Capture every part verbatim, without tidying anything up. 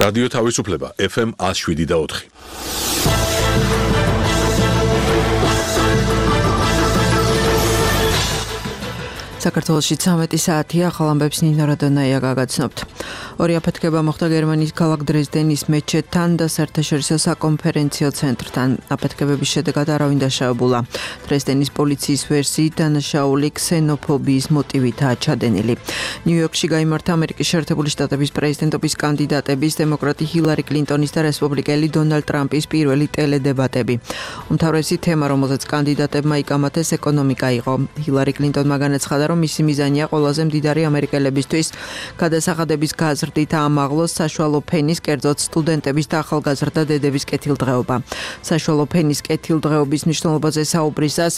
რადიო თავისუფლება ეფ ემ one oh seven და four. საქართველოში ცამეტი საათია, ახალ ამბებს ნინო რადონაია გაგაცნობთ. ორი აფეთქება მოხდა გერმანიის ქალაქ დრეზდენის მეჩეთთან და საერთაშორისო საკონფერენციო ცენტრთან. აფეთქებების შედეგად არავინ დაშავებულა. დრეზდენის პოლიციის ვერსიით დანაშაული ქსენოფობიის მოტივითაა ჩადენილი. ნიუ-იორკში გაიმართა ამერიკის შეერთებული შტატების პრეზიდენტობის კანდიდატების დემოკრატი ჰილარი კლინტონის და რესპუბლიკელი დონალდ ტრამპის პირველი ტელედებატები. უმთავრესი თემა, რომელზეც კანდიდატებმა იკამათეს, ეკონომიკა იყო. ჰილარი კლინტონმა განაცხადა, რომ მისი მიზანია ყველაზე მდიდარი ამერიკელებისთვის გადასახადების გაზრდით აამაღლოს საშუალო ფენის, კერძოდ სტუდენტების და ახალგაზრდა დედების კეთილდღეობა. საშუალო ფენის კეთილდღეობის მნიშვნელობაზე საუბრისას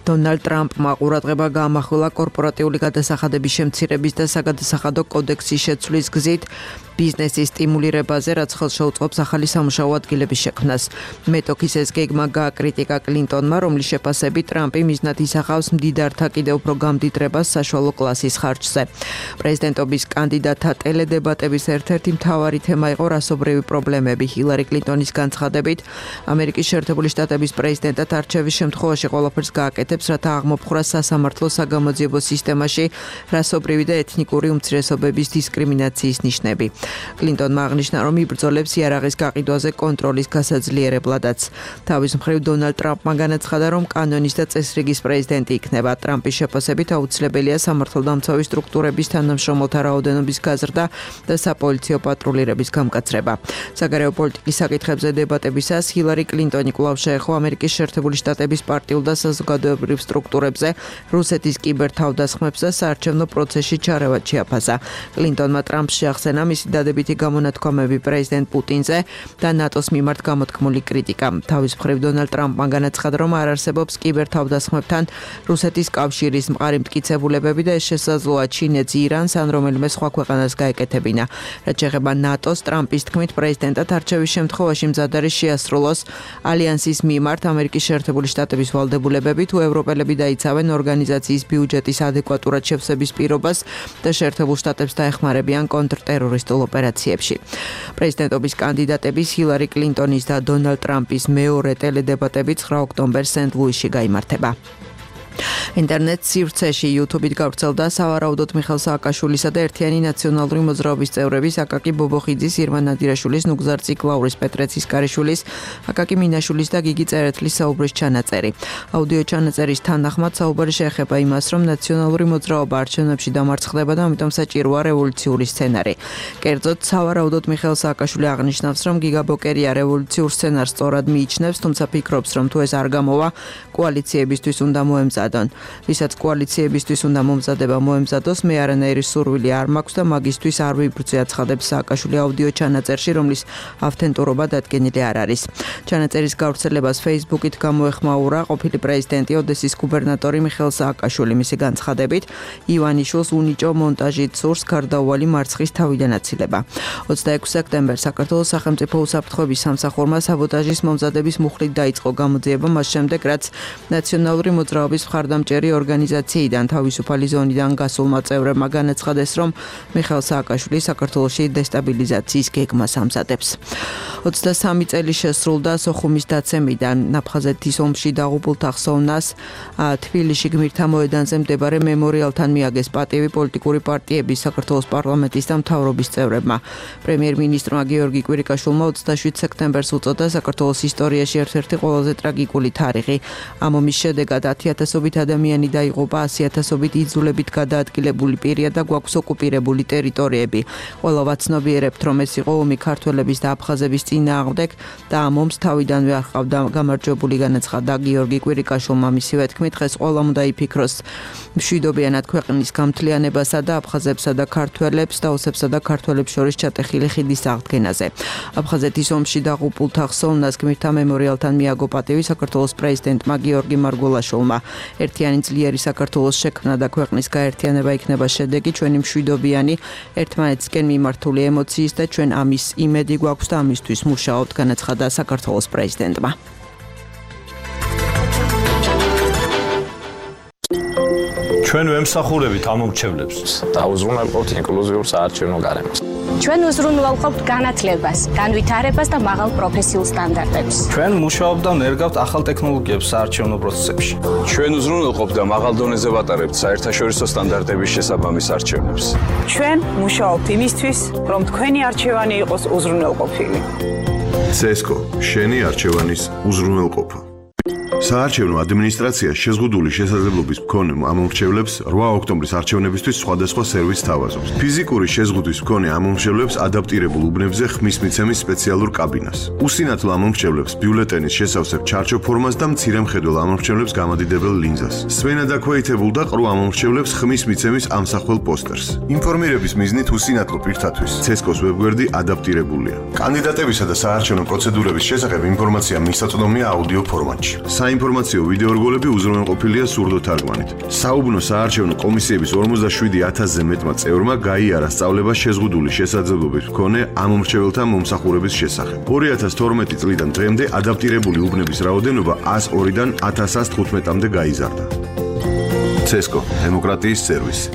დონალდ ტრამპმა ყურადღება გაამახვილა კორპორატიული გადასახადების შემცირების და საგადასახადო კოდექსის შეცვლის გზით ბიზნესის სტიმულირებაზე, რაც ხელს შეუწყობს ახალი სამუშაო ადგილების შექმნას. მეტოქის ეს გეგმა გააკრიტიკა კლინტონმა, რომლის შეფასებით ტრამპი მიზნად ისახავს მდიდართა კიდევ უფრო გამდიდრებას საშუალო კლასის ხარჯზე. პრეზიდენტობის კანდიდატთა ტელედებატების ერთ-ერთი მთავარი თემა იყო რასობრივი პრობლემები. ჰილარი კლინტონის განცხადებით, ამერიკის შეერთებული შტატების პრეზიდენტად არჩევის შემთხვევაში ყველაფერს გააკეთებს, რათა აღმოფხვრას სასამართლო საგამოძიებო სისტემაში რასობრივი და ეთნიკური უმცირესობების დისკრიმინაციის ნიშნები. კლინტონმა აღნიშნა, რომ იბრძოლებს იარაღის გაყიდვაზე კონტროლის გასაძლიერებლადაც. თავის მხრივ დონალდ ტრამპმა განაცხადა, რომ კანონის და წესრიგის პრეზიდენტი იქნება. ტრამპის შეფასებით აუცილებელია სამართალდამცავი სტრუქტურების თანამშრომელთა რაოდენობის გაზრდა და საპოლიციო პატრულირების გამკაცრება. საგარეო პოლიტიკის საკითხებზე დებატებისას ჰილარი კლინტონი კვლავ შეეხო ამერიკის შეერთებული შტატების პარტიულ და საზოგადოებრივ სტრუქტურებზე, რუსეთის კიბერთავდასხმებს და საარჩევნო პროცესში ჩარევად შეაფასა. კლინტონმა ტრამპს შეახსენა მისი დადებითი გამონათქვამები პრეზიდენტ პუტინზე და ნატოს მიმართ გამოთქმული კრიტიკა. თავის მხრივ დონალდ ტრამპმა განაცხადა, რომ არ არსებობს კიბერთავდასხმებთან რუსეთის კავშირის მყარი მტკიცებულებები და ეს შესაძლოა ჩინეთს, ირანს ან რომელიმე სხვა ქვეყანას გაეკეთებინა. რაც შეეხება ნატოს, ტრამპის თქმით პრეზიდენტად არჩევის შემთხვევაში მზად არის შეასრულოს ალიანსის მიმართ ამერიკის შეერთებული შტატების ვალდებულებები, თუ ევროპელები დაიცავენ ორგანიზაციის ბიუჯეტის ადეკვატურად შევსების პირობას და შეერთებულ შტატებს დაეხმარებიან კონტრტერორისტულ ოპერაციებში. პრეზიდენტობის კანდიდატების ჰილარი კლინტონის და დონალდ ტრამპის მეორე ტელედებატები ცხრა ოქტომბერს სენტ-ლუისში გაიმართება. ინტერნეტ სივრცეში YouTube-ით გავრცელდა სავარაუდოდ მიხეილ სააკაშვილისა და ერთიანი ნაციონალური მოძრაობის წევრების აკაკი ბობოხიძის, ირმა ნადირაშვილის, ნუგზარ ციკლაურის, პეტრე ცისკარიშვილის, აკაკი მინაშვილის და გიგი წერეთლის საუბრის ჩანაწერი. აუდიო ჩანაწერის თანახმად საუბარი შეეხება იმას, რომ ნაციონალური მოძრაობა არჩევნებში დამარცხდება და ამიტომ საჭიროა რევოლუციური სცენარი. კერძოდ, სავარაუდოდ მიხეილ სააკაშვილი აღნიშნავს, რომ გიგა ბოკერია რევოლუციურ სცენარს სწორად მიიჩნევს, თუმცა ფიქრობს, რომ თუ ეს არ გამოვა, კოალიციებისთვის უნდა მოემზადონ. ვისაც კოალიციებისთვის უნდა მომზადება მოემზადოს, მე არანაირი სურვილი არ მაქვს და მაგისთვის არ ვიბრძვი, აცხადებს სააკაშვილი აუდიო ჩანაწერში, რომლის ავთენტურობა დადგენილი არ არის. ჩანაწერის გავრცელებას Facebook-ით გამოეხმაურა ყოფილი პრეზიდენტი ოდესის გუბერნატორი მიხეილ სააკაშვილი. მისი განცხადებით, ივანიშვილს უნიჭო მონტაჟით სურს გარდაუვალი მარცხის თავიდან აცილება. ოცდაექვსი სექტემბერს საქართველოს სახელმწიფო უსაფრთხოების სამსახურმა საბოტაჟის მომზადების მუხლით დაიწყო გამოძიება, მას შემდეგ რაც ნაციონალური მოძრაობის მხარდამჭერი ორგანიზაციიდან თავისუფალი ზონიდან გასულმა წევრებმა განაცხადეს, რომ მიხეილ სააკაშვილი საქართველოში დესტაბილიზაციის გეგმას ამზადებს. ოცდასამი წელი შესრულდა სოხუმის დაცემიდან. აფხაზეთის ომში დაღუპულთა ხსოვნას თბილისში გმირთა მოედანზე მდებარე მემორიალთან მიაგეს პატივი პოლიტიკური პარტიების, საქართველოს პარლამენტის და მთავრობის წევრებმა. პრემიერ-მინისტრმა გიორგი კვირიკაშვილმა ოცდაშვიდ სექტემბერს უწოდა საქართველოს ისტორიაში ერთ-ერთი ყველაზე ტრაგიკული თარიღი. ამ ომის შედეგად ათი ათასობით ადამიანი დაიღუპა, ასი ათასობით იძულებით გადაადგილებული პირია და გვაქვს ოკუპირებული ტერიტორიები. ყველა ვაცნობიერებთ, რომ ეს იყო ომი ქართველების და აფხაზების წინააღმდეგ და ამ ომს თავიდანვე არ ჰყავდა გამარჯვებული, განაცხადა გიორგი კვირიკაშვილმა. მისივე თქმით, დღეს ყველამ უნდა იფიქროს მშვიდობიანად ქვეყნის გამთლიანებასა და აფხაზებსა და ქართველებს და ოსებსა და ქართველებს შორის ჩატეხილი ხიდის აღდგენაზე. აფხაზეთის ომში დაღუპულთა ხსოვნას გმირთა მემორიალთან მიაგო პატივი საქართველოს პრეზიდენტმა გიორგი მარგველაშვილმა. ერთიანი ძლიერი საქართველოს შექმნა და ქვეყნის გაერთიანება იქნება შედეგი ჩვენი მშვიდობიანი, ერთმანეთისკენ მიმართული ემოციის და ჩვენ ამის იმედი გვაქვს და ამისთვის მუშაობთ, განაცხადა საქართველოს პრეზიდენტმა. ჩვენ ვემსახურებით ამ მომრჩევლებს. დაუზრუნავთ ინკლუზიურ საარჩევნო გარემოს. ჩვენ უზრუნველყოფთ განათლებას, განვითარებას და მაღალ პროფესიულ სტანდარტებს. ჩვენ მუშაობთ და ნერგავთ ახალ ტექნოლოგიებს საარჩევნო პროცესებში. ჩვენ უზრუნველყოფთ და მაღალ დონეზე ვატარებთ საერთაშორისო სტანდარტების შესაბამის არჩევნებს. ჩვენ მუშაობთ იმისთვის, რომ თქვენი არჩევანი იყოს უზრუნველყოფილი. ცესკო, შენი არჩევანის უზრუნველყოფა. საარჩევნო ადმინისტრაცია შეზღუდული შესაძლებლობის მქონე ამომრჩევლებს რვა ოქტომბრის არჩევნებისთვის სხვადასხვა სერვისს თავაზობს. ფიზიკური შეზღუდვის მქონე ამომრჩევლებს ადაპტირებულ უბნებზე ხმის მიცემის სპეციალურ კაბინას. უსინათლო ამომრჩევლებს ბიულეტენის შესავსებ ჩარჩო ფორმას და მცირე მხედველ ამომრჩევლებს გამადიდებელ ლინზას. სვენა დაქვეითებულ და ყრუ ამომრჩევლებს ხმის მიცემის ამსახველ პოსტერს. ინფორმირების მიზნით უსინათლო პირთათვის ცესკოს ვებგვერდი ადაპტირებულია. კანდიდატებისა და საარჩევნო პროცედურების შესახებ ინფორმაცია მისაწვდომია აუდიო ფორმატში. საინფორმაციო ვიდეორგოლები უზრუნველყოფილია სურდო თარგმანით. საუბნო საარჩევნო კომისიების ორმოცდაშვიდი ათასზე მეტმა წევრმა გაიარა სწავლება შეზღუდული შესაძლებლობის მქონე ამომრჩეველთა მომსახურების შესახებ. ორი ათას თორმეტი წლიდან დღემდე ადაპტირებული უბნების რაოდენობა ათას ორიდან ათას თხუთმეტამდე გაიზარდა. ცესკო, დემოკრატიის სერვისი.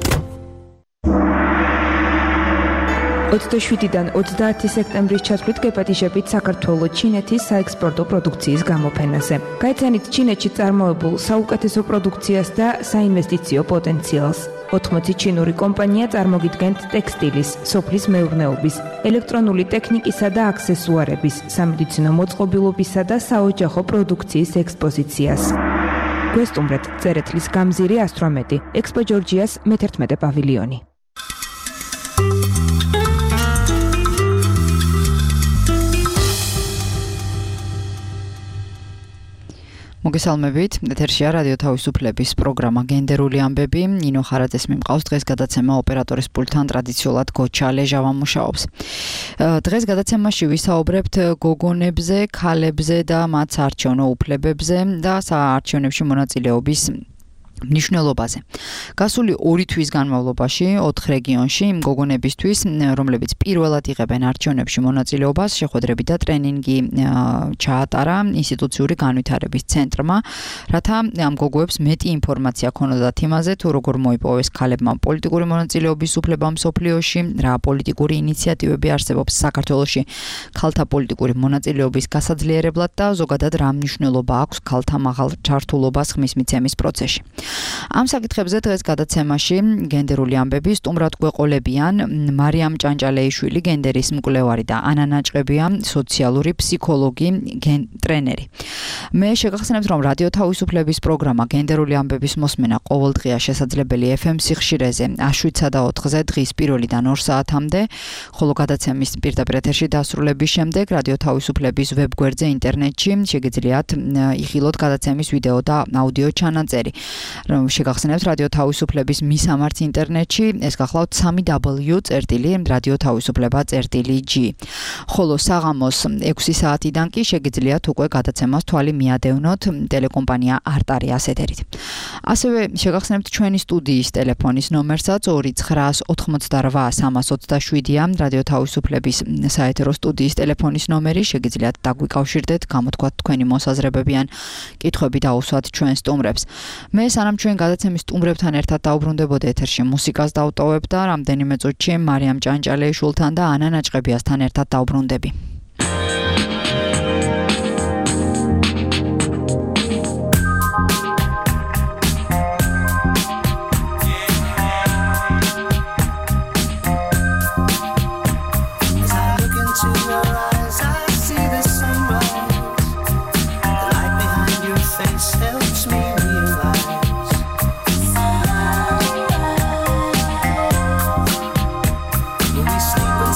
ოცდაშვიდიდან ოცდაათი სექტემბრის ჩათვლით გეპატიჟებით საქართველოს ჩინეთის საექსპორტო პროდუქციის გამოფენაზე. გაიცანით ჩინეთში წარმოებულ საუკეთესო პროდუქციას და საინვესტიციო პოტენციალს. ოთხმოცი ჩინური კომპანია წარმოგიდგენთ ტექსტილის, სოფლის მეურნეობის, ელექტრონული ტექნიკისა და აქსესუარების, სამედიცინო მოწყობილობისა და საოჯახო პროდუქციის ექსპოზიციას. გვესტუმრეთ წერეთლის გამზირი ასტრომეტი, ექსპო ჯორჯიას მეთერთმეტე პავილიონი. მოგესალმებით, ეთერშია რადიო თავისუფლების პროგრამა გენდერული ამბები. ნინო ხარაძეს მიმყავს დღეს გადაცემა ოპერატორის პულტთან ტრადიციულად გოჩა ლეჟავა მუშაობს. დღეს გადაცემაში ვისაუბრებთ გოგონებზე, ქალებზე და მათ საარჩევნო უფლებებზე და საარჩევნებში მონაწილეობის მნიშვნელობაზე. გასული ორი თვის განმავლობაში ოთხ რეგიონში გოგონებისთვის, რომლებიც პირველად იღებენ არჩევნებში მონაწილეობას, შეხვედრები და ტრენინგი ჩაატარა ინსტიტუციური განვითარების ცენტრმა, რათა ამ გოგოებს მეტი ინფორმაცია ქონოდათ იმაზე, თუ როგორ მოიპოვეს ქალებმა პოლიტიკური მონაწილეობის უფლება მსოფლიოში, რა პოლიტიკური ინიციატივები არსებობს საქართველოში ქალთა პოლიტიკური მონაწილეობის გასაძლიერებლად და ზოგადად რა მნიშვნელობა აქვს ქალთა მაღალ ჩართულობას ხმის მიცემის პროცესში. ამ საკითხებზე დღეს გადაცემაში გენდერული ამბები სტუმრად გვეყოლებიან მარიამ ჭანჭალეიშვილი, გენდერის მკვლევარი და ანა ნაჭყებია, სოციალური ფსიქოლოგი, ტრენერი. მე შეგახსენებთ, რომ რადიო თავისუფლების პროგრამა გენდერული ამბების მოსმენა ყოველდღია შესაძლებელი ეფ ემ სიხშირეზე შვიდსა და ოთხზე დღის პირველიდან ორ საათამდე, ხოლო გადაცემის პირდაპირ ეთერში დასრულების შემდეგ რადიო თავისუფლების ვებგვერდზე ინტერნეტში შეგიძლიათ იხილოთ გადაცემის ვიდეო და აუდიო ჩანაწერი. შეგახსენებთ რადიო თავისუფლების მისამართ ინტერნეტში, ეს გახლავთ სამი დაბლიუ წერტილი რადიო თავისუფლება წერტილი ჯი. ხოლო საღამოს ექვსი საათიდან კი შეგიძლიათ უკვე გადაცემას თვალი მიადევნოთ ტელეკომპანია არტარიას ეთერით. ასევე შეგახსენებთ ჩვენი სტუდიის ტელეფონის ნომერსაც ორი ცხრა ოთხმოცდა რვა სამას ოცდაშვიდია რადიო თავისუფლების საეთერო სტუდიის ტელეფონის ნომერი, შეგიძლიათ დაგვიკავშირდეთ, გამოთქვათ თქვენი მოსაზრებები ან კითხვები დაუსვათ ჩვენ სტუმრებს. მე სანამ ჩვენ გადაცემის სტუმრებთან ერთად დაუბრუნდებოდი ეთერში მუსიკას დავტოვებ და რამდენიმე წუთში მარიამ ჭანჭალეიშვილთან და ანა ნაჭყებიასთან ერთად დაუბრუნდები.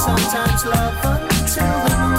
Sometimes love until the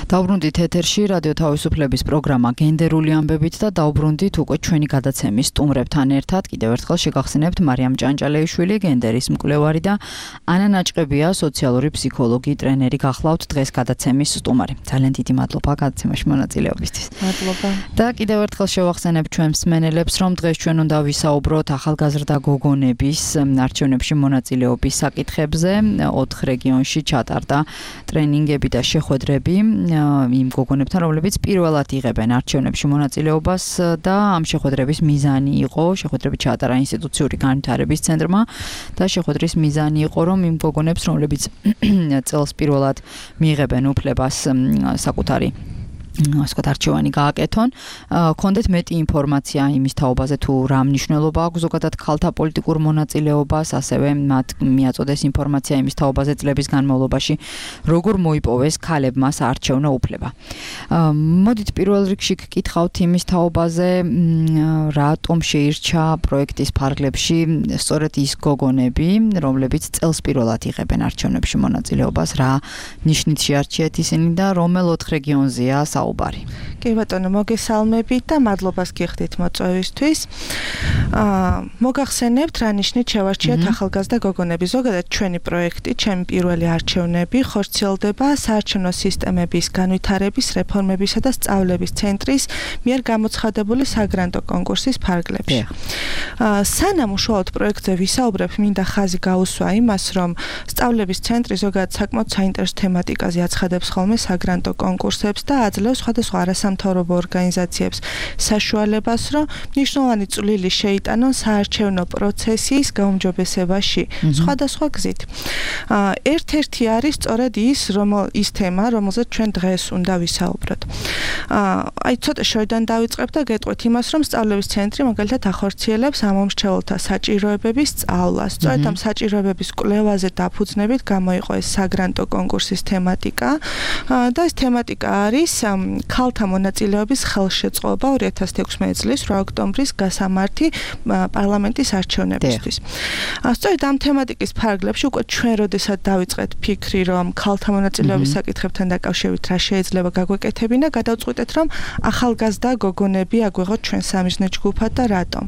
დავბრუნდით ეთერში რადიო თავისუფლების პროგრამა გენდერული ამბებით და დავბრუნდით უკვე ჩვენი გადაცემის სტუმრებთან ერთად. კიდევ ერთხელ შეგახსენებთ მარიამ ჭანჭალეიშვილი, გენდერის მკვლევარი და ანა ნაჭყებია, სოციალური ფსიქოლოგი, ტრენერი გახლავთ დღეს გადაცემის სტუმარი. ძალიან დიდი მადლობა გადაცემაში მონაწილეობისთვის. მადლობა. და კიდევ ერთხელ შევახსენებთ ჩვენ მსმენელებს, რომ დღეს ჩვენ უნდა ვისაუბროთ ახალგაზრდა გოგონების არჩევნებში მონაწილეობის საკითხებზე. ოთხ რეგიონში ჩატარდა ტრენინგები და შეხვედრები იმ გოგონებთან, რომლებიც პირველად იღებენ არჩევნებში მონაწილეობას და ამ შეხვედრების მიზანი იყო, შეხვედრები ჩაატარა ინსტიტუციური განვითარების ცენტრმა და შეხვედრის მიზანი იყო, რომ იმ გოგონებს, რომლებიც წელს პირველად მიიღებენ უფლებას საკუთარი ასეთ არჩევანი გააკეთონ, კონდეთ მეტი ინფორმაცია იმის თაობაზე თუ რა მნიშვნელობა აქვს ზოგადად ქალთა პოლიტიკურ მონაწილეობას, ასევე მათ მიაწოდეს ინფორმაცია იმის თაობაზე წლების განმავლობაში როგორ მოიპოვეს ქალებმა საარჩევნო უფლება. მოდით პირველ რიგში გკითხავთ იმის თაობაზე, რატომ შეირჩა პროექტის ფარგლებში სწორედ ის გოგონები, რომლებიც წელს პირველად იღებენ არჩევნებში მონაწილეობას, რა ნიშნით შეარჩიეთ ისინი და რომელ ოთხ რეგიონზეა საუბარი. კი ბატონო, მოგესალმებით და მადლობას გიხდით მოწვევისთვის. აა მოგახსენებთ რა ნიშნით შევარჩიეთ ახალგაზრდა გოგონები. ზოგადად ჩვენი პროექტი, ჩემი პირველი არჩევნები ხორციელდება საარჩევნო სისტემების განვითარების, რეფორმებისა და სწავლების ცენტრის მიერ გამოცხადებული საგრანტო კონკურსის ფარგლებში. აა სანამ უშუალოდ პროექტზე ვისაუბრებ, მინდა ხაზი გაუსვა იმას, რომ სწავლების ცენტრი ზოგადად საკმაოდ საინტერესო თემატიკაზე აცხადებს ხოლმე საგრანტო კონკურსებს და აძლევს სხვადასხვა არასამთავრობო ორგანიზაციებს საშუალებას, რომ მნიშვნელოვანი წვლილი შეიტანონ საარჩევნო პროცესის გაუმჯობესებაში სხვადასხვა გზით. ერთ-ერთი არის სწორედ ის, რომ ის თემა, რომელზეც ჩვენ დღეს უნდა ვისაუბროთ. აი ცოტა შორიდან დავიწყებ და გეტყვით იმას, რომ სწავლების ცენტრი მაგალითად ახორციელებს ამომრჩეველთა საჭიროებების სწავლას. სწორედ ამ საჭიროებების კვლევაზე დაფუძნებით გამოიყო ეს საგრანტო კონკურსის თემატიკა და ეს თემატიკა არის ქალთა მონაწილეობის ხელშეწყობა ორი ათას ექვსმეტი წლის რვა ოქტომბრის გასამართი პარლამენტის არჩევნებისთვის. სწორედ ამ თემატიკის ფარგლებში უკვე ჩვენ როდესაც დავიწყეთ ფიქრი, რომ ქალთა მონაწილეობის საკითხებთან დაკავშირებით რა შეიძლება გაგვეკეთებინა, გადავწყვიტეთ, რომ ახალგაზრდა გოგონები აგვეღოთ ჩვენ სამიზნე ჯგუფად და რატომ.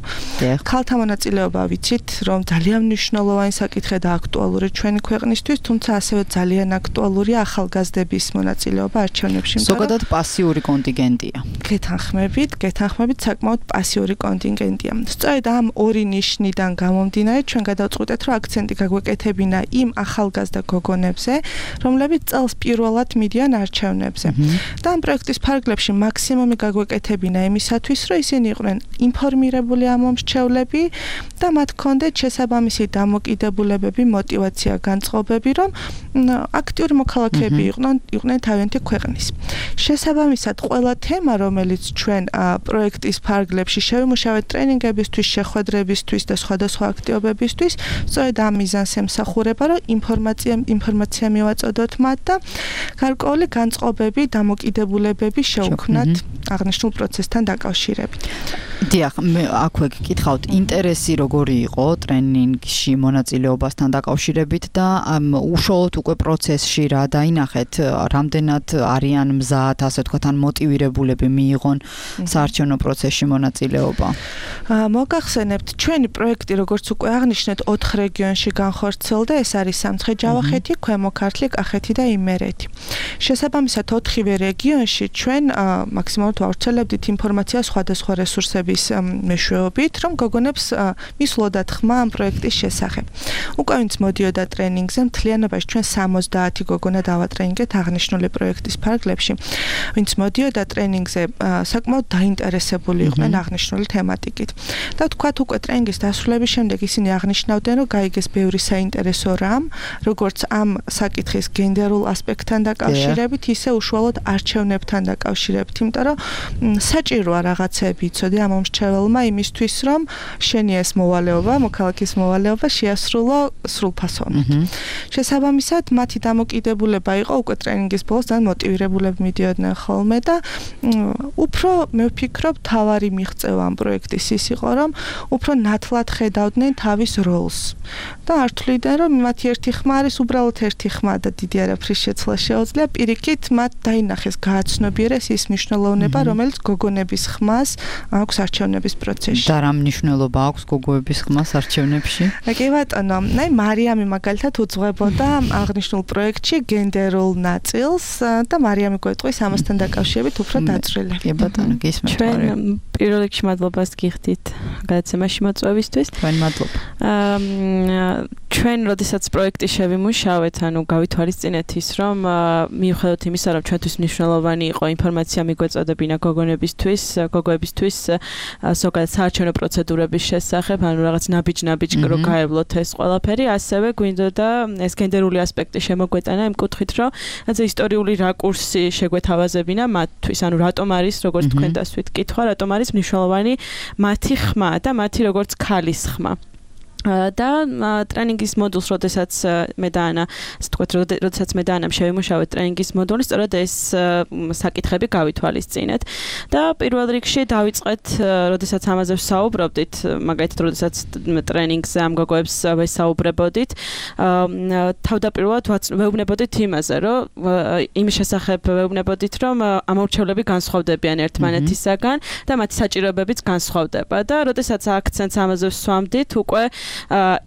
ქალთა მონაწილეობა ვიცით, რომ ძალიან მნიშვნელოვანი საკითხია და აქტუალური ჩვენი ქვეყნისთვის, თუმცა ასევე ძალიან აქტუალურია ახალგაზრდების მონაწილეობა არჩევნებში. ზოგადად პასიური კონტინგენტია. გეთანხმებით, გეთანხმებით საკმაოდ პასიური კონტინგენტია. სწორედ ამ ორი ნიშნიდან გამომდინარე, ჩვენ გადავწყვიტეთ, რომ აქცენტი გაგვეკეთებინა იმ ახალგაზრდა გოგონებზე, რომლებიც წელს პირველად მიდიან არჩევნებზე. და ამ პროექტის ფარგლებში მაქსიმუმი გაგვეკეთებინა იმისათვის, რომ ისინი იყვნენ ინფორმირებული ამომრჩევლები და მათ ჰქონდეთ შესაბამისი დამოკიდებულებები, мотиваცია, განწყობები, რომ აქტიური მოქალაქეები იყვნენ, იყვნენ თავიანთი ქვეყნის. შესაბამისად, ყველა თემა, რომელიც ჩვენ პროექტის ფარგლებში შევიმუშავეთ ტრენინგებისთვის, შეხვედრებისთვის და სხვადასხვა აქტივობებისთვის, სწორედ ამ მიზანს ემსახურება, რომ ინფორმაცია ინფორმაცია მივაწოდოთ მათ და გარკვეული განწყობები, დამოკიდებულებები შევქმნათ აღნიშნულ პროცესთან დაკავშირებით. დიახ, მე აქვე გკითხავთ, ინტერესი როგორი იყო ტრენინგში მონაწილეობასთან დაკავშირებით და უშუალოდ უკვე პროცესში რა დაინახეთ, რამდენად არიან მზად, ასე ვთქვათ, ან მოტივირებულები მიიღონ საარჩევნო პროცესში მონაწილეობა. მოგახსენებთ, ჩვენი პროექტი, როგორც უკვე აღნიშნეთ, ოთხ რეგიონში განხორციელდა, ეს არის სამცხე-ჯავახეთი, ქვემო ქართლი, კახეთი და იმერეთი. შესაბამისად, ოთხივე რეგიონში ჩვენ მაქსიმალურად ვავრცელებდით ინფორმაციას სხვადასხვა რესურსების მეშვეობით, რომ გოგონებს მისვლოდათ ხმა ამ პროექტის შესახებ. უკვე ვინც მოდიოდა ტრენინგზე, მთლიანობაში ჩვენ სამოცდაათი გოგონა დავატრენინგეთ აღნიშნული პროექტის ფარგლებში. ვინც მოდიოდა ტრენინგზე, საკმაოდ დაინტერესებული იყვნენ აღნიშნული თემატიკით. და თქვათ უკვე ტრენინგის დასრულების შემდეგ ისინი აღნიშნავდნენ, რომ გაიგეს ბევრი საინტერესო რამ, როგორც ამ საკითხის გენდერულ ასპექტთან დაკავშირებით, ისე უშუალოდ არჩევნებთან დაკავშირებით, იმიტომ რომ საჭიროა რაღაცები იცოდე ამომრჩეველმა იმისთვის, რომ შენი ეს მოვალეობა, მოქალაქის მოვალეობა შეასრულო სრულფასოვნად. შესაბამისად, მათი დამოკიდებულება იყო უკვე ტრენინგის ბოლოს და მოტივირებულები მიდიოდნენ ხოლმე და უფრო მე ვფიქრობ თავარი მიღწევა ამ პროექტის ის იყო რომ უფრო ნათლად ხედავდნენ თავის როლს და არ თვლიდნენ რომ მათი ერთი ხმა არის უბრალოდ ერთი ხმა და დიდი არაფრის შეცვლა შეუძლია პირიქით მათ დაინახეს გააცნობიერეს ის მნიშვნელოვნება რომელიც გოგონების ხმას აქვს არჩევნების პროცესში და რა მნიშვნელობა აქვს გოგოების ხმას არჩევნებში? კი ბატონო, აი მარიამი მაგალითად უძღვებოდა აღნიშნულ პროექტში გენდერულ ნაწილს და მარიამი გვეტყვის ამასთან დაკავშირებით უფრო დაწვრილებით. კი ბატონო, გისმენთ. ჩვენ პირველ რიგში მადლობას გიხდით გადაცემაში მოწვევისთვის. თქვენ მადლობა. ჩვენ როდესაც პროექტი შევიმუშავეთ, ანუ გავითვალისწინეთ ის, რომ მიუხედავად იმისა, რომ ჩვენთვის მნიშვნელოვანი იყო ინფორმაცია მიგვეწოდებინა გოგონებისთვის, გოგოებისთვის ზოგადად საარჩევნო პროცედურების შესახებ, ანუ რაღაც ნაბიჯ-ნაბიჯ რო გაევლოთ ეს ყველაფერი, ასევე გვინდოდა ეს გენდერული ასპექტი შემოგვეტანა იმ კუთხით, რომ ასე ისტორიული რაკურსი შეგვეთავაზებინა მათთვის, ანუ რატომ არის, როგორც თქვენ დასვით კითხვა, რატომ არის მნიშვნელოვანი მათი ხმა და მათი როგორც ქალის ხმა. და ტრენინგის მოდულს, როდესაც მე და ანა, ასე ვთქვათ, როდესაც მე და ანამ შევიმუშავეთ ტრენინგის მოდული, სწორედ ეს საკითხები გავითვალისწინეთ. და პირველ რიგში დავიწყეთ, როდესაც ამაზე ვსაუბრობდით, მაგალითად, როდესაც ტრენინგზე ამ გოგოებს ვესაუბრებოდით, თავდაპირველად ვეუბნებოდით იმაზე, რომ იმის შესახებ ვეუბნებოდით, რომ ამორჩევლები განსხვავდებიან ერთმანეთისაგან და მათი საჭიროებებიც განსხვავდება. და როდესაც აქცენტს ამაზე ვსვამდით, უკვე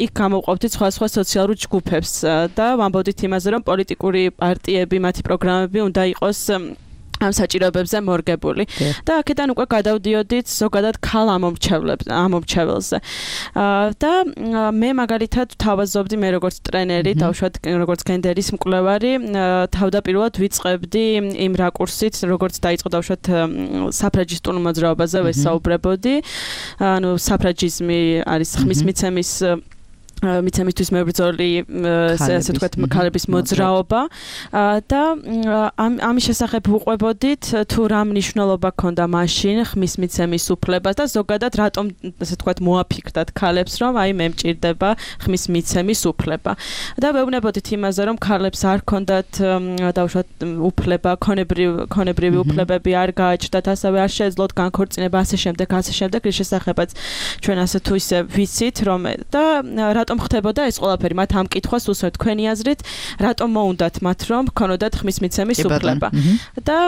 იქ გამოვყოფდით სხვა-სხვა სოციალურ ჯგუფებს და ვამბობდით იმაზე, რომ პოლიტიკური პარტიები, მათი პროგრამები უნდა იყოს ამ საჭიროებებზე მორგებული. და აქედან უკვე გადავდიოდით ზოგადად ქალ ამომრჩეველზე. და მე მაგალითად ვთავაზობდი მე როგორც ტრენერი, დავუშვათ როგორც გენდერის მკვლევარი, თავდაპირველად ვიწყებდი იმ რაკურსით, როგორც დაიწყო დავუშვათ საფრაჯისტულ მოძრაობაზე ვესაუბრებოდი. ანუ საფრაჯიზმი არის ხმის მიცემის მიცემისთვის მებრძოლი, ასე ვთქვათ, ქალების მოძრაობა და ამის შესახებ ვუყვებოდით თუ რა მნიშვნელობა ჰქონდა მაშინ ხმის მიცემის უფლებას და ზოგადად რატომ, ასე ვთქვათ, მოაფიქრდათ ქალებს, რომ აი მე მჭირდება ხმის მიცემის უფლება. და ვეუბნებოდით იმაზე, რომ ქალებს არ ჰქონდათ დავუშვათ უფლება, ქონებრივი უფლებები არ გააჩნდათ, ასევე არ შეეძლოთ განქორწინება, ასე შემდეგ, ასე შემდეგ, რის შესახებაც ჩვენ ასე თუ ისე ვიცით, რომ და რატომ ხდებოდა ეს ყველაფერი მათ ამ კითხვას უსვათ თქვენი აზრით რატომ მოუნდათ მათ რომ ქონოდათ ხმის მიცემის უფლება და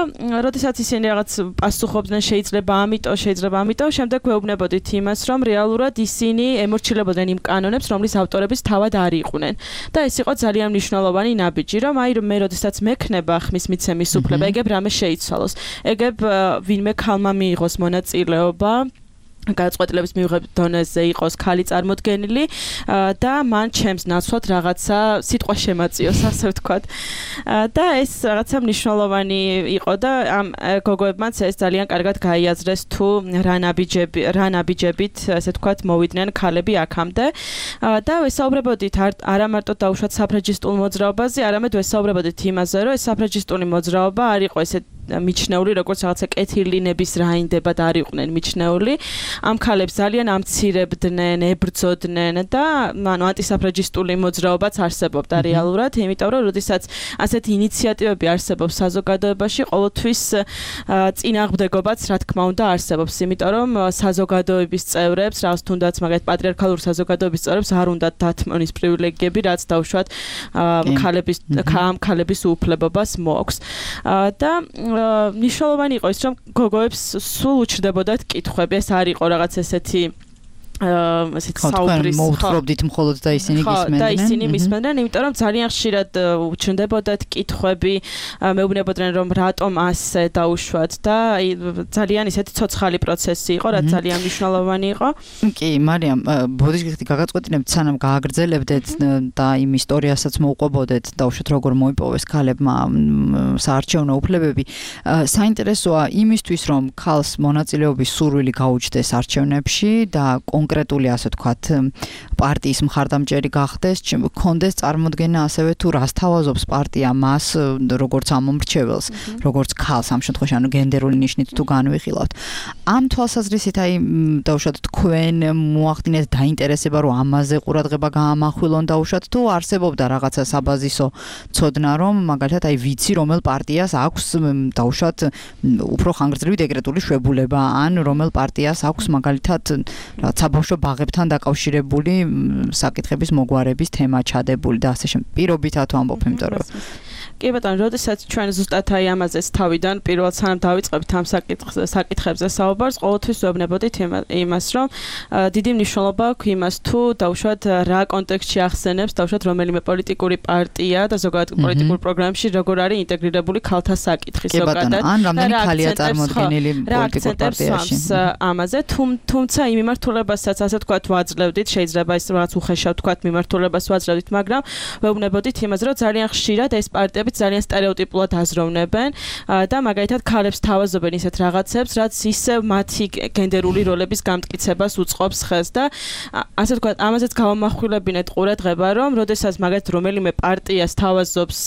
როდესაც ისინი რაღაც პასუხობდნენ შეიძლება ამიტომ შეიძლება ამიტომ შემდეგ ვეუბნებოდით იმას რომ რეალურად ისინი ემორჩილებოდნენ იმ კანონებს რომლის ავტორებიც თავად არ იყვნენ და ეს იყო ძალიან მნიშვნელოვანი ნაბიჯი რომ აი მე როდესაც მექნება ხმის მიცემის უფლება ეგებ რამე შეიცვალოს ეგებ ვინმე ქალმა მიიღოს მონაწილეობა გადაწყვეტილების მიღების დონეზე იყოს ქალი წარმოდგენილი და მან ჩემს ნაცვლად რაღაცა სიტყვა შემაწიოს, ასე ვთქვათ. და ეს რაღაცა მნიშვნელოვანი იყო და ამ გოგოებმაც ეს ძალიან კარგად გაიაზრეს თუ რა ნაბიჯები, რა ნაბიჯებით, ასე ვთქვათ, მოვიდნენ ქალები აქამდე. და ვესაუბრებოდით არა მარტო დაუშვათ საფრაჯისტულ მოძრაობაზე, არამედ ვესაუბრებოდით იმაზე, რომ ეს საფრაჯისტული მოძრაობა არ იყო ესე მიჩნეული როგორც რაღაცა კეთილინების რაინდებად არ იყვნენ მიჩნეული. ამ ქალებს ძალიან ამცირებდნენ, ებრძოდნენ და ანუ ანტისაფრაჯისტული მოძრაობაც არსებობდა რეალურად, იმიტომ რომ როდესაც ასეთი ინიციატივები არსებობს საზოგადოებაში, ყოველთვის წინააღმდეგობაც რა თქმა უნდა არსებობს, იმიტომ რომ საზოგადოების წევრებს, რაღაც თუნდაც მაგალითად პატრიარქალურ საზოგადოების წევრებს არ უნდათ დათმონის პრივილეგიები, რაც დავუშვათ ქალების ამ ქალების უფლებობას მოაქვს. და მნიშვნელოვანი იყო ის, რომ გოგოებს სულ უჩრდებოდათ კითხვები, ეს არ იყო რაღაც ესეთი ასეთ საუბრის მოუთხრობდით მხოლოდ და ისინი გისმენდნენ. და ისინი მისმენდნენ, იმიტომ რომ ძალიან ხშირად უჩნდებოდათ კითხვები, მეუბნებოდნენ რომ რატომ ასე დაუშვათ და ძალიან ისეთი ცოცხალი პროცესი იყო, რაც ძალიან მნიშვნელოვანი იყო. კი, მარიამ, ბოდიშგიხტი გაგაწყვეტინებთ, სანამ გააგრძელებდეთ და იმ ისტორიასაც მოუყვებოდეთ, დაუშვათ როგორ მოიპოვეს ქალებმა საარჩევნო უფლებები. საინტერესოა იმისთვის, რომ ქალს მონაწილეობის სურვილი გაუჩნდეს არჩევნებში და კონკრეტული ასე ვთქვათ პარტიის მხარდამჭერი გახდეს, კონდეს წარმოდგენა ასევე თუ რას თავაზობს პარტია მას როგორც ამომრჩეველს, როგორც ქალს ამ შემთხვევაში, ანუ გენდერული ნიშნით თუ განვიხილავთ. ამ თვალსაზრისით აი დაუშვათ თქვენ მოახდინეთ დაინტერესება რომ ამაზე ყურადღება გაამახვილონ დაუშვათ თუ არსებობდა რაღაცა საბაზისო ცოდნა რომ მაგალითად აი ვიცი რომელ პარტიას აქვს დაუშვათ უფრო ხანგრძლივი დეკრეტული შვებულება ან რომელ პარტიას აქვს მაგალითად რაღაც საბავშვო ბაღებთან დაკავშირებული საკითხების მოგვარების თემა ჩადებული და ასე შემდეგ. პირობითად ვამბობ, იმიტომ რომ კი ბატონო, როდესაც ჩვენ ზუსტად აი ამაზეც თავიდან პირველად სანამ დავიწყებთ ამ საკითხებზე საუბარს, ყოველთვის ვეუბნებოდით იმას, რომ დიდი მნიშვნელობა აქვს იმას თუ დაუშვათ რა კონტექსტში ახსენებს, დაუშვათ რომელიმე პოლიტიკური პარტია და ზოგადად პოლიტიკურ პროგრამებში როგორ არის ინტეგრირებული ქალთა საკითხი ზოგადად. ან რამდენი ქალია წარმოდგენილი პოლიტიკურ პარტიაში. ამაზე, თუმცა იმ მიმართულებასაც ასე ვთქვათ ვაძლევდით, შეიძლება ის რაღაც უხეშად ვთქვათ მიმართულებას ვაძლევდით, მაგრამ ვეუბნებოდით იმას, რომ ძალიან ხშირად ეს პარტიები ძალიან სტერიოტიპულად აზროვნებენ და მაგალითად ქალებს თავაზობენ ისეთ რაღაცებს, რაც ისევ მათი გენდერული როლების გამტკიცებას უწყობს ხელს და ასე ვთქვათ, ამაზეც გავამახვილებინეთ ყურადღება, რომ როდესაც მაგალითად რომელიმე პარტიას თავაზობს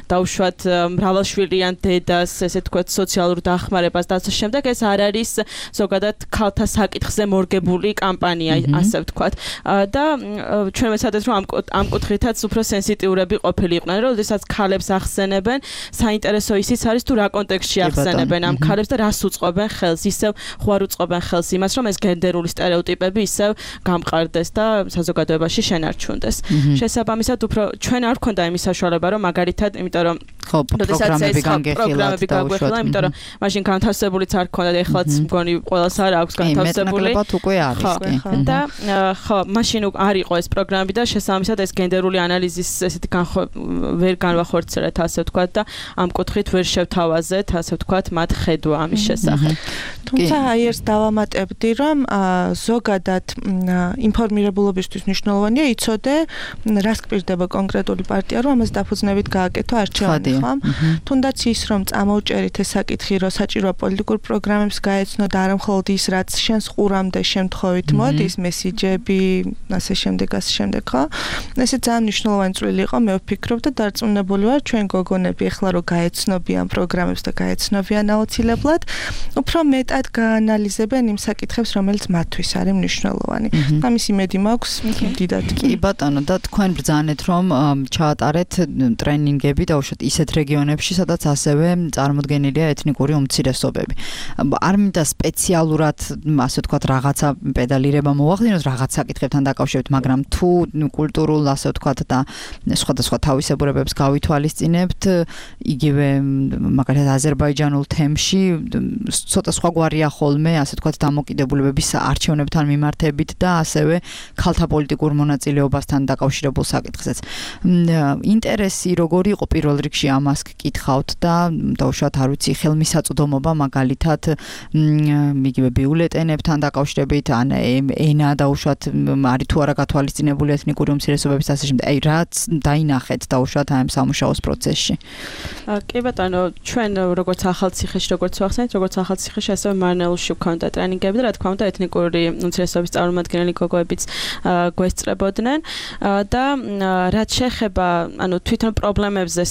დაუშვათ მრავალშვილიან დედას, ესე ვთქვათ, სოციალურ დახმარებას და ასე შემდეგ, ეს არ არის ზოგადად ქალთა საკითხზე მორგებული კამპანია, ასე ვთქვათ. და ჩვენ ვეცადეთ, რომ ამ კუთხითაც უფრო სენსიტიურები ყოფილიყვნენ, როდესაც ქალებს ახსენებენ, საინტერესო ისიც არის თუ რა კონტექსტში ახსენებენ ამ ქალებს და რას უწყობენ ხელს, ისევ ხوار უწყობენ ხელს იმას, რომ ეს გენდერული სტერეოტიპები ისევ გამყარდეს და საზოგადოებაში შენარჩუნდეს. შესაბამისად, უფრო ჩვენ არ გვქონდა იმის საშუალება, რომ მაგალითად, იმიტომ რომ ხო, პროგრამები განგეხილათ და უშუალოდ, იმიტომ რომ მაშინ განთავსებულიც არ გქონდა და ეხლაც მგონი ყველას არ აქვს განთავსებული. მეტნაკლებად უკვე არის კი. და ხო, მაშინ არ იყო ეს პროგრამები და შესაბამისად ეს გენდერული ანალიზის ესეთი ვერ განვახორციელეთ, ასე ვთქვათ და ამ კუთხით ვერ შევთავაზეთ, ასე ვთქვათ, მათ ხედვა ამის შესახებ. თუმცა აი ეს დავამატებდი, რომ ზოგადად ინფორმირებულობისთვის მნიშვნელოვანია იცოდე, რას გპირდება კონკრეტული პარტია, რომ ამას დაფუძნებით გააკეთო არჩევანი, ხო? თუნდაც ის, რომ წამოვჭერით ეს საკითხი, რომ საჭიროა პოლიტიკურ პროგრამებს გაეცნო და არა მხოლოდ ის, რაც შენს ყურამდე შემთხვევით მოდის, მესიჯები, ასე შემდეგ, ასე შემდეგ, ხო? ესე ძალიან მნიშვნელოვანი წვლილი იყო, მე ვფიქრობ და დარწმუნებული ვარ, ჩვენ გოგონები ახლა რო გაეცნობიან პროგრამებს და გაეცნობიან აუცილებლად, უფრო მეტად გაანალიზებენ იმ საკითხებს, რომელიც მათთვის არის მნიშვნელოვანი. ამის იმედი მაქვს დიდად. კი ბატონო, და თქვენ ბრძანეთ, რომ ჩაატარეთ ტრენინგები და უშუალოდ ისეთ რეგიონებში, სადაც ასევე წარმოდგენილია ეთნიკური უმცირესობები. არ მინდა სპეციალურად, ასე ვთქვათ, რაღაცა პედალირება მოახდინოს რაღაც საკითხებთან დაკავშირებით, მაგრამ თუ კულტურულ, ასე ვთქვათ, და სხვადასხვა თავისებურებებს გავითვალისწინებთ, იგივე მაგალითად აზერბაიჯანულ თემში ცოტა სხვაგვარია ხოლმე, ასე ვთქვათ, დამოკიდებულებების არჩევნებთან მიმართებით და ასევე ქალთა პოლიტიკურ მონაწილეობასთან დაკავშირებულ საკითხზეც. ინტერესი როგორი იყო პირველ რიგში ამას გკითხავთ და დაუშვათ, არ ვიცი, ხელმისაწვდომობა მაგალითად იგივე ბიულეტენებთან დაკავშირებით, ან ენა დაუშვათ, არის თუ არა გათვალისწინებული ეთნიკური უმცირესობების ასე შემდეგ. აი რაც დაინახეთ დაუშვათ ამ სამუშაოს პროცესში. კი ბატონო, ჩვენ როგორც ახალციხეში, როგორც ვახსენეთ, როგორც ახალციხეში, ასევე მარნეულში ვქონდა ტრენინგები და რა თქმა უნდა, ეთნიკური უმცირესობების წარმომადგენელი გოგოებიც გვესწრებოდნენ და რაც შეეხება, ანუ თვითონ პრობლემებზე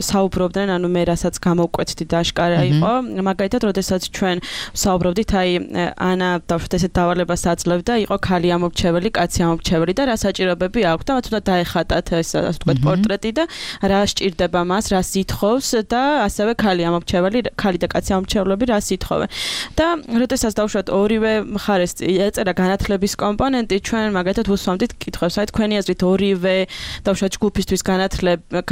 საუბრობდნენ, ანუ მე რასაც გამოვკვეთდი და აშკარა იყო, მაგალითად, როდესაც ჩვენ საუბრობდით, აი ანა დავშვათ ესეთ დავალებას აძლევდა, იყო ქალი ამორჩეველი, კაცი ამორჩეველი და რა საჭიროებები აქვს და მათ უნდა დაეხატათ ეს ასე ვთქვათ პორტრეტი და რა სჭირდება მას, რას ითხოვს და ასევე ქალი ამორჩეველი, ქალი და კაცი ამორჩევლები რას ითხოვენ. და როდესაც დავშვათ ორივე მხარეს ეწერა განათლების კომპონენტი, ჩვენ მაგალითად ვუსვამდით კითხვებს, აი თქვენი აზრით ორივე დავშვათ ჯგუფისთვის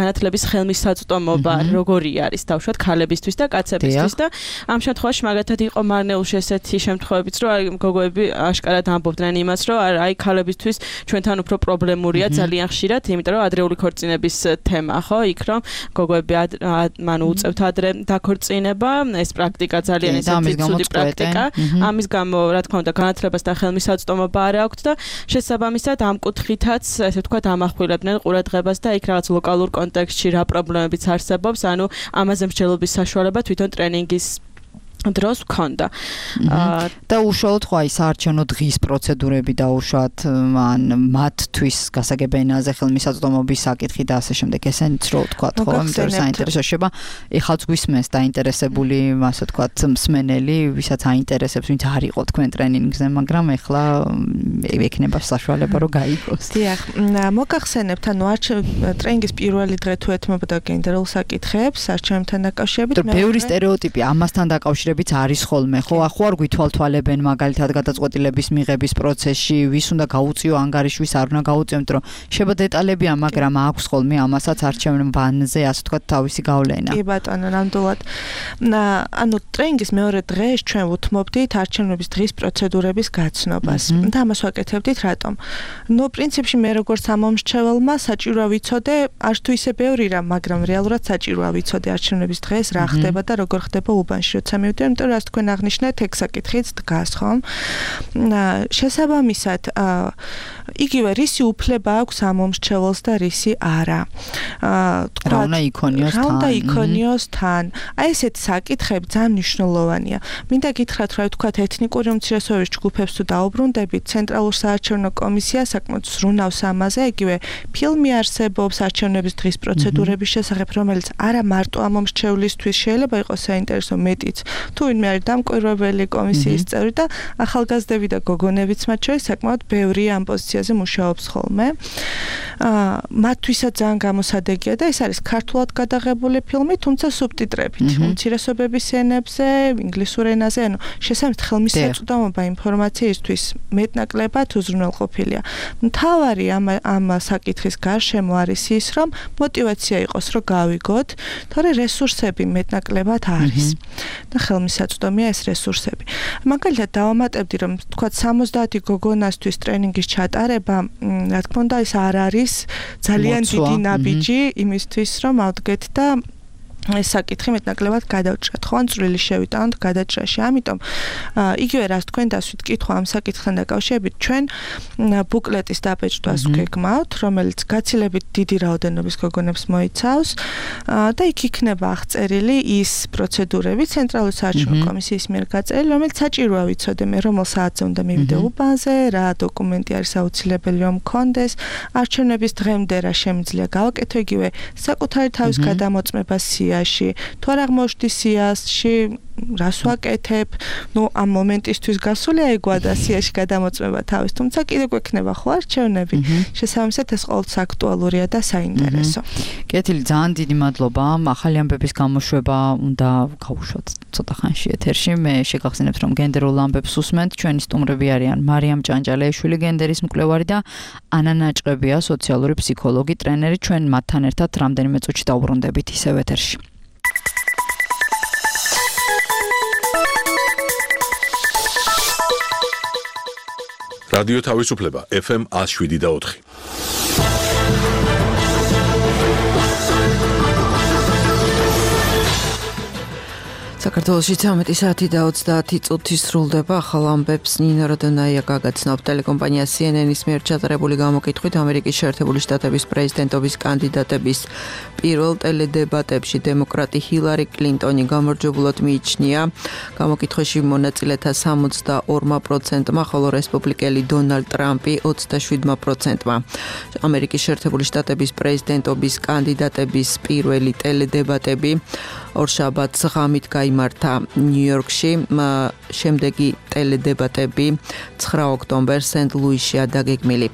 განათლების ხელმისაწვდომობა როგორი არის დავშვათ ქალებისთვის და კაცებისთვის და ამ შემთხვევაში მაგალითად იყო მარნეულში ესეთი შემთხვევებიც, რომ აი გოგოები აშკარად ამბობდნენ იმას, რომ აი ქალებისთვის ჩვენთან უფრო პრობლემურია ძალიან ხშირად, იმიტომ რომ ადრეული ქორწინების თემა, ხო, იქ რომ გოგოები მანუ უწევთ ადრე დაქორწინება, ეს პრაქტიკა ძალიან ესეთი ცუდი პრაქტიკა. ამის გამო, რა თქმა უნდა, განათლებას და ხელმისაწვდომობა არ აქვთ და შესაბამისად ამ კუთხითაც, ესე ვთქვათ, ამახვილებდნენ ყურადღებას და იქ რაღაც ლოკალურ კონტექსტში რა პრობლემებიც არსებობს, ანუ ამაზე მსჯელობის საშუალება თვითონ ტრენინგის დროს ვქონდა. და უშუალოდ ხო აი საარჩევნო დღის პროცედურები დაუშვათ ან მათთვის გასაგებენაზე ხელმისაწვდომობის საკითხი და ასე შემდეგ ესენიც რო ვთქვათ ხო იმიტომ რომ საინტერესო შეება ეხლაც გვისმენს დაინტერესებული ასე ვთქვათ მსმენელი ვისაც აინტერესებს ვინც არ იყო თქვენ ტრენინგზე მაგრამ ეხლა ექნება საშუალება რომ გაიგოს. დიახ, მოგახსენებთ ანუ ტრენინგის პირველი დღე თუ ეთმობოდა გენდერულ საკითხებს არჩევნებთან დაკავშირებით მე ბევრი სტერეოტიპი ამასთან დაკავშირებით არის ხოლმე ხო ახო არ გვითვალთვალებენ მაგალითად გადაწყვეტილების მიღების პროცესში ვის უნდა გაუწიო ანგარიშვის არ უნდა გაუწიო იმიტომ რომ შეება დეტალებია მაგრამ აქვს ხოლმე ამასაც არჩევნებანზე ასე ვთქვათ თავისი გავლენა. კი ბატონო ნამდვილად. ანუ ტრენინგის მეორე დღეს ჩვენ ვუთმობდით არჩევნების დღის პროცედურების გაცნობას და ამას ვაკეთებდით რატომ? ნუ პრინციპში მე როგორც ამომრჩეველმა საჭიროა ვიცოდე არც თუ ისე ბევრი რამ მაგრამ რეალურად საჭიროა ვიცოდე არჩევნების დღეს რა ხდება და როგორ ხდება უბანში როცა მივდივარ იმიტომ რომ რაც თქვენ აღნიშნეთ ეგ საკითხიც დგას ხომ? შესაბამისად იგივე რისი უფლება აქვს ამომრჩეველს და რისი არა. რა უნდა იქონიოს თან? რა უნდა იქონიოს თან? აი ესეთი საკითხები ძალიან მნიშვნელოვანია. მინდა გითხრათ რა ვთქვათ ეთნიკური უმცირესობების ჯგუფებს თუ დაუბრუნდებით ცენტრალურ საარჩევნო კომისიას საკმაოდ ზრუნავს ამაზე იგივე ფილმი არსებობს არჩევნების დღის პროცედურების შესახებ რომელიც არა მარტო ამომრჩევლისთვის შეიძლება იყოს საინტერესო მეტიც თუ ვინმე არის დამკვირვებელი კომისიის წევრი და ახალგაზრდები და გოგონებიც მათ შორის საკმაოდ ბევრი ამ პოზიციაზე მუშაობს ხოლმე. მათთვისაც ძალიან გამოსადეგია და ეს არის ქართულად გადაღებული ფილმი, თუმცა სუბტიტრებით, უმცირესობების ენებზე, ინგლისურ ენაზე, ანუ შესაბამისად ხელმისაწვდომობა ინფორმაციისთვის მეტნაკლებად უზრუნველყოფილია. მთავარი ამ ამ საკითხის გარშემო არის ის, რომ мотиваცია იყოს, რომ გავიგოთ, თორე რესურსები მეტნაკლებად არის. და ხელმისაწვდომია ეს რესურსები. მაგალითად დავამატებდი რომ თქვა სამოცდაათი გოგონასთვის ტრენინგის ჩატარება, რა თქმა უნდა, ეს არ არის ძალიან დიდი ნაბიჯი იმისთვის რომ ავდგეთ და ეს საკითხი მეტნაკლებად გადავჭრათ, ხო, ან წვრილი შევიტანოთ გადაჭრაში. ამიტომ იგივე რაც თქვენ დასვით კითხვა ამ საკითხთან დაკავშირებით, ჩვენ ბუკლეტის დაბეჭდვას გვგეგმავთ, რომელიც გაცილებით დიდი რაოდენობის გოგონებს მოიცავს და იქ იქნება აღწერილი ის პროცედურები ცენტრალური საარჩევნო კომისიის მიერ გაწერილი, რომელიც საჭიროა ვიცოდე მე რომელ საათზე უნდა მივიდე უბანზე, რა დოკუმენტი არის აუცილებელი რომ მქონდეს, არჩევნების დღემდე რა შემიძლია გავაკეთო, იგივე საკუთარი თავის გადამოწმება სია თუ არ აღმოჩნდი სიაში რას ვაკეთებ, ნუ ამ მომენტისთვის გასულია ეგვა და სიაში გადამოწმება თავის, თუმცა კიდევ გვექნება ხო არჩევნები. შესაბამისად ეს ყოველთვის აქტუალურია და საინტერესო. კეთილი, ძალიან დიდი მადლობა. ახალი ამბების გამოშვება უნდა გავუშვათ ცოტა ხანში ეთერში. მე შეგახსენებთ რომ გენდერულ ამბებს უსმენთ. ჩვენი სტუმრები არიან მარიამ ჭანჭალეიშვილი, გენდერის მკვლევარი და ანა ნაჭყებია, სოციალური ფსიქოლოგი, ტრენერი. ჩვენ მათთან ერთად რამდენიმე წუთში დავუბრუნდებით ისევ ეთერში. რადიო თავისუფლება ეფ ემ one oh seven და four. საქართველოში ცამეტი საათი და ოცდაათი წუთი სრულდება. ახალ ამბებს ნინო როდონაია გაგაცნობ. ტელეკომპანია სი ენ ენის მიერ ჩატარებული გამოკითხვით ამერიკის შეერთებული შტატების პრეზიდენტობის კანდიდატების პირველ ტელედებატებში დემოკრატი ჰილარი კლინტონი გამარჯვებულად მიიჩნია. გამოკითხვაში მონაწილეთა სამოცდაორ პროცენტმა, ხოლო რესპუბლიკელი დონალდ ტრამპი ოცდაშვიდ პროცენტმა. ამერიკის შეერთებული შტატების პრეზიდენტობის კანდიდატების პირველი ტელედებატები ორშაბათს ღამით გაიმართა ნიუ-იორკში, შემდეგი ტელედებატები ცხრა ოქტომბერს სენტ-ლუისშია დაგეგმილი.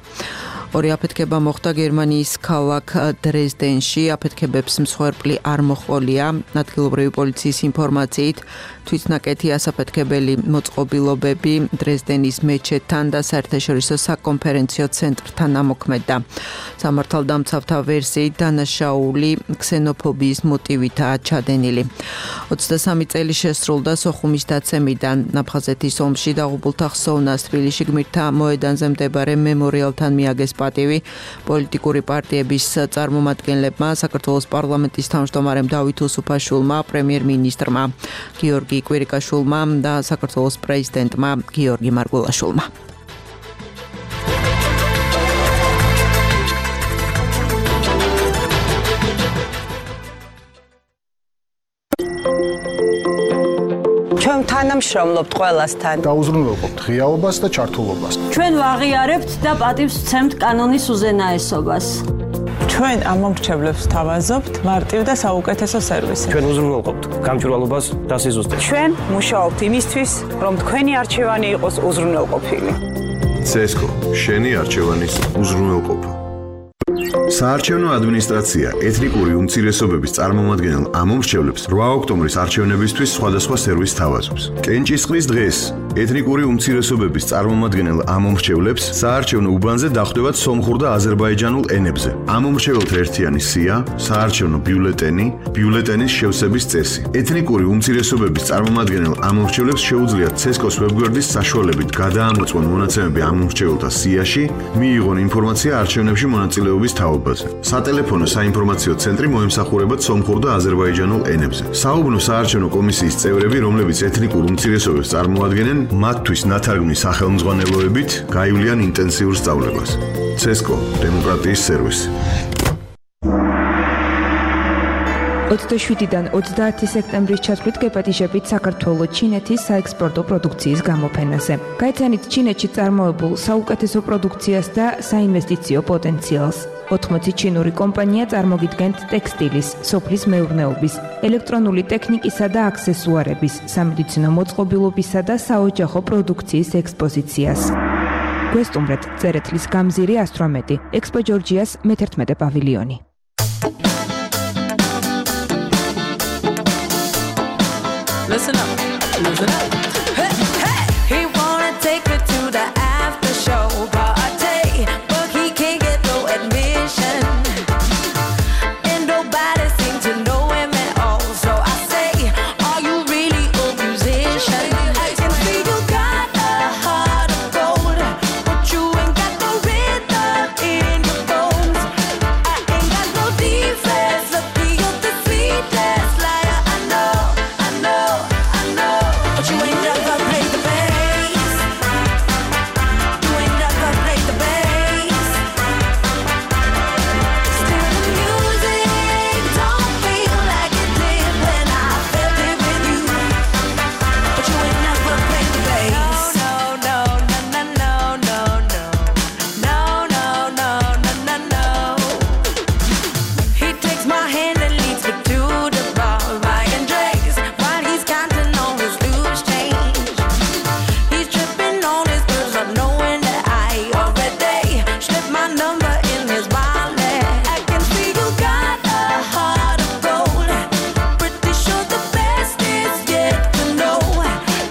ორი აფეთქება მოხდა გერმანიის ქალაქ დრეზდენში. აფეთქებებს მსხვერპლი არ მოჰყოლია. ადგილობრივი პოლიციის ინფორმაციით თვითნაკეთი ასაფეთქებელი მოწყობილობები დრეზდენის მეჩეთთან და საერთაშორისო საკონფერენციო ცენტრთან ამოქმედდა. სამართალდამცავთა ვერსიით დანაშაული ქსენოფობიის მოტივითაა ჩადენილი. ოცდასამი წელი შესრულდა სოხუმის დაცემიდან. აფხაზეთის ომში დაღუპულთა ხსოვნას თბილისში გმირთა მოედანზე მდებარე მემორიალთან მიაგეს პატივი. პოლიტიკური პარტიების წარმომადგენლებმა, საქართველოს პარლამენტის თავმჯდომარემ დავით უსუფაშვილმა, პრემიერ-მინისტრმა გიორგი კვირიკაშვილმა და საქართველოს პრეზიდენტმა გიორგი მარგულაშვილმა. ჩვენ თანამშრომლობთ ყველასთან. დაუზრუნველყოფთ ღიაობას და ჩართულობას. ჩვენ ვაღიარებთ და პატივს ვცემთ კანონის უზენაესობას. ჩვენ ამ მომრჩევლებს თავაზობთ მარტივ და საუკეთესო სერვისი. ჩვენ უზრუნველყოფთ გამჭვირვალობას და სიზუსტეს. ჩვენ მუშაობთ იმისთვის, რომ თქვენი არჩევანი იყოს უზრუნველყოფილი. ცესკო, შენი არჩევანის უზრუნველყოფა. საარჩევნო ადმინისტრაცია ეთნიკური უმცირესობების წარმომადგენელ ამომრჩევლებს რვა ოქტომბრის არჩევნებისთვის სხვადასხვა სერვისს თავაზობს. კენჭისყრის დღეს ეთნიკური უმცირესობების წარმომადგენელ ამომრჩევლებს საარჩევნო უბანზე დახვდებათ სომხურ და აზერბაიჯანულ ენებზე. ამომრჩეველთა ერთიანი სია, საარჩევნო ბიულეტენი, ბიულეტენის შევსების წესი. ეთნიკური უმცირესობების წარმომადგენელ ამომრჩევლებს შეუძლიათ ცესკოს ვებგვერდის საშუალებით გადაამოწმონ მონაცემები ამომრჩეველთა სიაში, მიიღონ ინფორმაცია არჩევნებში მონაწილეობის თაობაზე. სატელეფონო საინფორმაციო ცენტრი მოემსახურებათ სომხურ და აზერბაიჯანულ ენებზე. საუბნო საარჩევნო კომისიის წევრები, რომლებიც ეთნიკურ უმცირესობებს წარმოადგენენ, მათთვის ნათარგმნის სახელმძღვანელოებით გაივლიან ინტენსიურ სწავლებას. ცესკო, დემოკრატიის სერვისი. ოცდაშვიდიდან ოცდაათი სექტემბრის ჩათვლით გეპატიჟებით საქართველოს ჩინეთის საექსპორტო პროდუქციის გამოფენაზე. გაიცანით ჩინეთში წარმოებულ საუკეთესო პროდუქციას და საინვესტიციო პოტენციალს. ოთხმოცი ჩინური კომპანია წარმოგიდგენთ ტექსტილის, სოფლის მეურნეობის, ელექტრონული ტექნიკისა და აქსესუარების, სამედიცინო მოწყობილობისა და საოჯახო პროდუქციის ექსპოზიციას. გვესტუმრეთ წერეთლის გამზირი ასტრომეტი, ექსპო ჯორჯიას მეთერთმეტე პავილიონი. Listen up, listen up. Hey, hey. He wanna take her to the after show party, but he can't get no admission. And nobody seems to know him at all. So I say, are you really a musician? I can see you got a heart of gold, but you ain't got no rhythm in your bones. I ain't got no defense, lucky you're the sweetest liar I know, I know. But you ain't never played the bass. You ain't never played the bass. Still the music don't feel like it did when I felt it with you. But you ain't never played the bass. No, no, no, no, no, no, no, no, no, no, no, no. He takes my hand and leads me to the bar, buying drinks while he's counting on his loose change. He's tripping on his girls, not knowing that I already slipped my number in his wallet. I can see you got a heart of gold. Pretty sure the best is yet to know.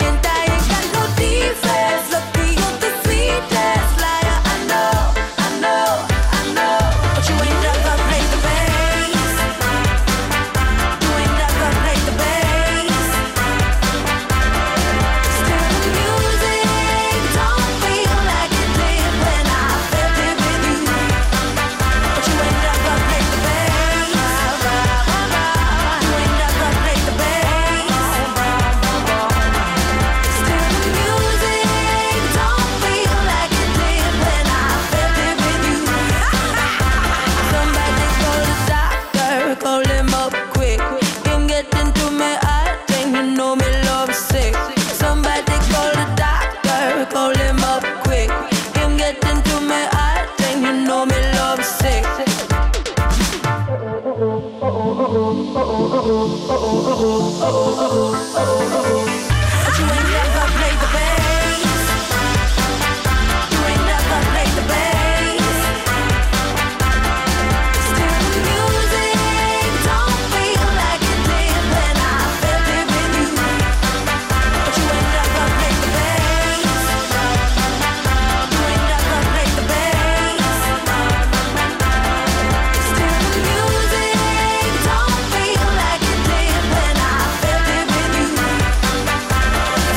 And I ain't got no defense. Lucky you're the sweetest liar I know, I know, I know. But you ain't never played the bass. You ain't never played the bass. Still the music don't feel like it did when I felt it with you. But you ain't never played the bass. You ain't never played the bass. Still the music don't feel like it did when I felt it with you. Somebody call the doctor, call him up quick. Can't get into me, I think you know me love sick. Somebody call the doctor, call him up quick. Can't get into me, I think you know me love sick. But you ain't never played the bass. You ain't never played the bass. Still the music don't feel like it did when I felt it with you. But you ain't never played the bass. You ain't never played the bass. Still the music don't feel like it did when I felt it with you.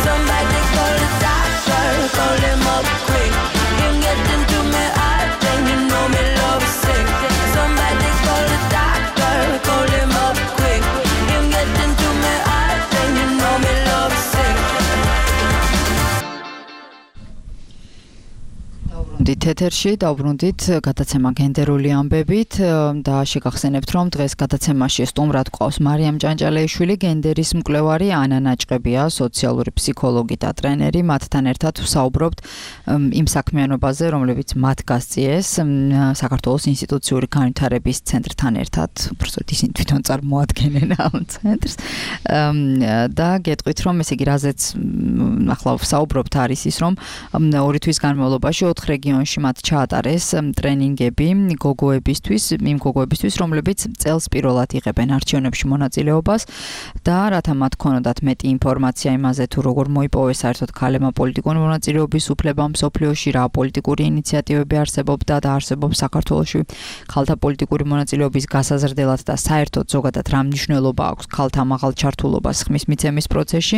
Somebody call it დავბრუნდით ეთერში, დავბრუნდით გადაცემა გენდერული ამბებით და შეგახსენებთ, რომ დღეს გადაცემაში სტუმრად გვყავს მარიამ ჭანჭალეიშვილი, გენდერის მკვლევარი, ანა ნაჭყებია, სოციალური ფსიქოლოგი და ტრენერი. მათთან ერთად ვსაუბრობთ იმ საქმიანობაზე, რომლებიც მათ გასწიეს საქართველოს ინსტიტუციური განვითარების ცენტრთან ერთად, უბრალოდ ისინი თვითონ წარმოადგენენ ამ ცენტრს. და გეტყვით, რომ ესე იგი რაზეც ახლა ვსაუბრობთ არის ის, რომ ორი თვის განმავლობაში ოთხ რეგიონში მათ ჩაატარეს ტრენინგები გოგოებისთვის, იმ გოგოებისთვის, რომლებიც წელს პირველად იღებენ არჩევნებში მონაწილეობას და რათა მათ ქონოდათ მეტი ინფორმაცია იმაზე, თუ როგორ მოიპოვეს საერთოდ ქალებმა პოლიტიკური მონაწილეობის უფლება მსოფლიოში, რა პოლიტიკური ინიციატივები არსებობდა და არსებობს საქართველოში ქალთა პოლიტიკური მონაწილეობის გასაზრდელად და საერთოდ ზოგადად რა მნიშვნელობა აქვს ქალთა მაღალ ჩართულობას ხმის მიცემის პროცესში.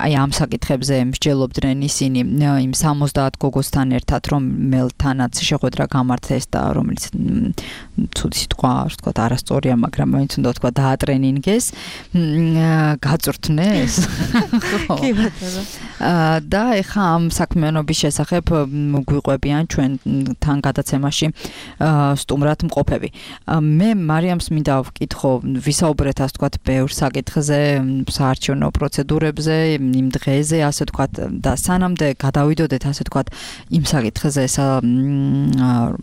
აი ამ საკითხებზე მსჯელობდნენ ისინი იმ სამოცდაათ გოგოსთან ერთად, რომელთანაც შეხვედრა გამართეს და რომელიც ცუდი სიტყვა, ასე ვთქვათ, არასწორია, მაგრამ მაინც უნდა ვთქვა დაატრენინგეს, გაწვრთნეს. კი ბატონო. და ეხა ამ საქმიანობის შესახებ გვიყვებიან ჩვენთან გადაცემაში სტუმრად მყოფები. მე მარიამს მინდა ვკითხო, ვისაუბრეთ ასე ვთქვათ ბევრ საკითხზე, საარჩევნო პროცედურებზე, იმ დღეზე, ასე ვთქვათ, და სანამდე გადავიდოდეთ ასე ვთქვათ იმ საკითხზე,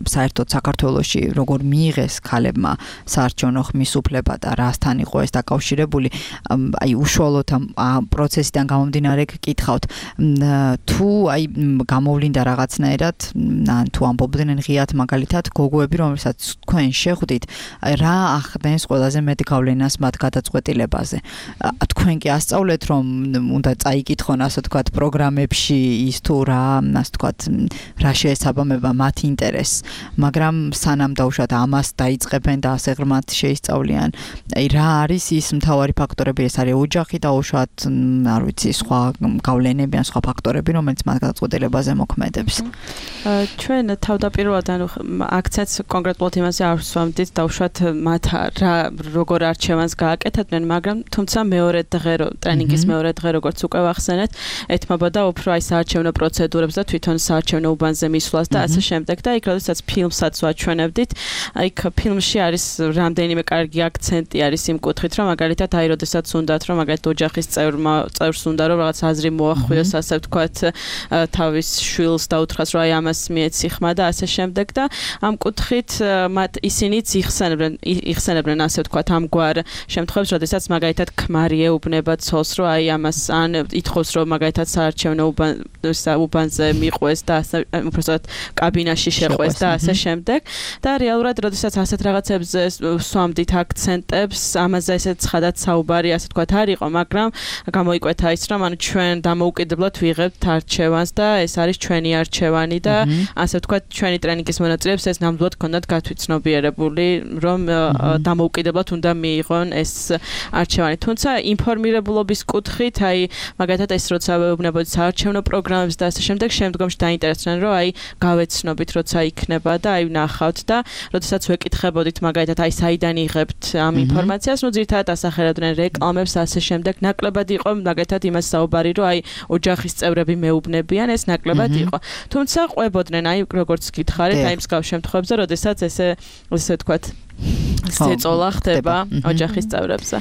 საერთოდ საქართველოში როგორ მიიღეს ქალებმა საარჩევნო ხმის უფლება და რასთან იყო ეს დაკავშირებული, აი უშუალოდ ამ პროცესიდან გამომდინარე გკითხავთ, თუ აი გამოვლინდა რაღაცნაირად, თუ ამბობდნენ ღიად მაგალითად გოგოები, რომელსაც თქვენ შეხვდით, რა ახდენს ყველაზე მეტ გავლენას მათ გადაწყვეტილებაზე. თქვენ კი ასწავლეთ, რომ უნდა წაიკითხონ ასე ვთქვათ პროგრამებში ის თუ რა, ასე ვთქვათ, რა შეესაბამება მათ ინტერესს, მაგრამ სანამ დაუშვათ ამას დაიწყებენ და ასე ღრმად შეისწავლიან, აი რა არის ის მთავარი ფაქტორები, ეს არის ოჯახი და უშუალოდ არ ვიცი სხვა გავლენები ან სხვა ფაქტორები, რომელიც მათ გადაწყვეტილებაზე მოქმედებს. ჩვენ თავდაპირველად ანუ აქცენტს კონკრეტულად იმაზე არ ვსვამდით და უშუალოდ მათ რა როგორ არჩევანს გააკეთებდნენ, მაგრამ თუმცა მეორე დღე ტრენინგის მეორე დღე როგორც უკვე ვახსენეთ, ეთმობოდა უფრო აი საარჩევნო პროცედურებს და თვითონ საარჩევნო უბანზე მისვლას და ასე შემდეგ და იქ როდესაც ფილმსაც ვაჩვენებდით, აი ფილმში არის რამდენიმე კარგი აქცენტი არის იმ კუთხით, რომ მაგალითად აი როდესაც უნდათ, რომ მაგალითად ოჯახის წევრმა წევრს უნდა რომ რაღაც აზრი მოახვიოს, ასე ვთქვათ, თავის შვილს დაუთხრას, რომ აი ამას მიეცი ხმა და ასე შემდეგ და ამ კუთხით მათ ისინიც იხსენებდნენ, იხსენებდნენ ასე ვთქვათ, ამგვარ შემთხვევებს, როდესაც მაგალითად ქმარი ეუბნება ცოლს, რომ აი ამას ან ითხოვს, რომ მაგალითად საარჩევნო უბანზე მიყვეს და ასე უბრალოდ კაბინაში შეყვეს და ასე შემდეგ და რეალურად როდესაც ასეთ რაღაცებზე ვსვამდით აქცენტებს, ამაზე ესე ცხადად საუბარი ასე ვთქვათ არ იყო, მაგრამ გამოიკვეთა ის, რომ ანუ ჩვენ დამოუკიდებლად ვიღებთ არჩევანს და ეს არის ჩვენი არჩევანი და ასე ვთქვათ ჩვენი ტრენინგის მონაწილეებს ეს ნამდვილად ქონდათ გათვითცნობიერებული, რომ დამოუკიდებლად უნდა მიიღონ ეს არჩევანი. თუმცა ინფორმირებულობის კუთხით, აი მაგალითად ეს როცა ვეუბნებოდით საარჩევნო პროგრამებს და ასე შემდეგ, შემდგომში დაინტერესდნენ, რომ აი გავეცნობით, როცა იქნება და აი ვნახავთ და როდესაც ვეკითხებოდით მაგალითად აი საიდან იღებთ ამ ინფორმაციას, ну ძირითადად ასახელებდნენ რეკლამებს, ასე შემდეგ, ნაკლებად იყო მაგალითად იმას საუბარი, რომ აი ოჯახის წევრები მეუბნებიან, ეს ნაკლებად იყო. თუმცა ყვებოდნენ, აი როგორც გითხარით, აი მსგავს შემთხვევებზე, როდესაც ესე ესე ვთქვათ ზეწოლა ხდება ოჯახის წევრებზე.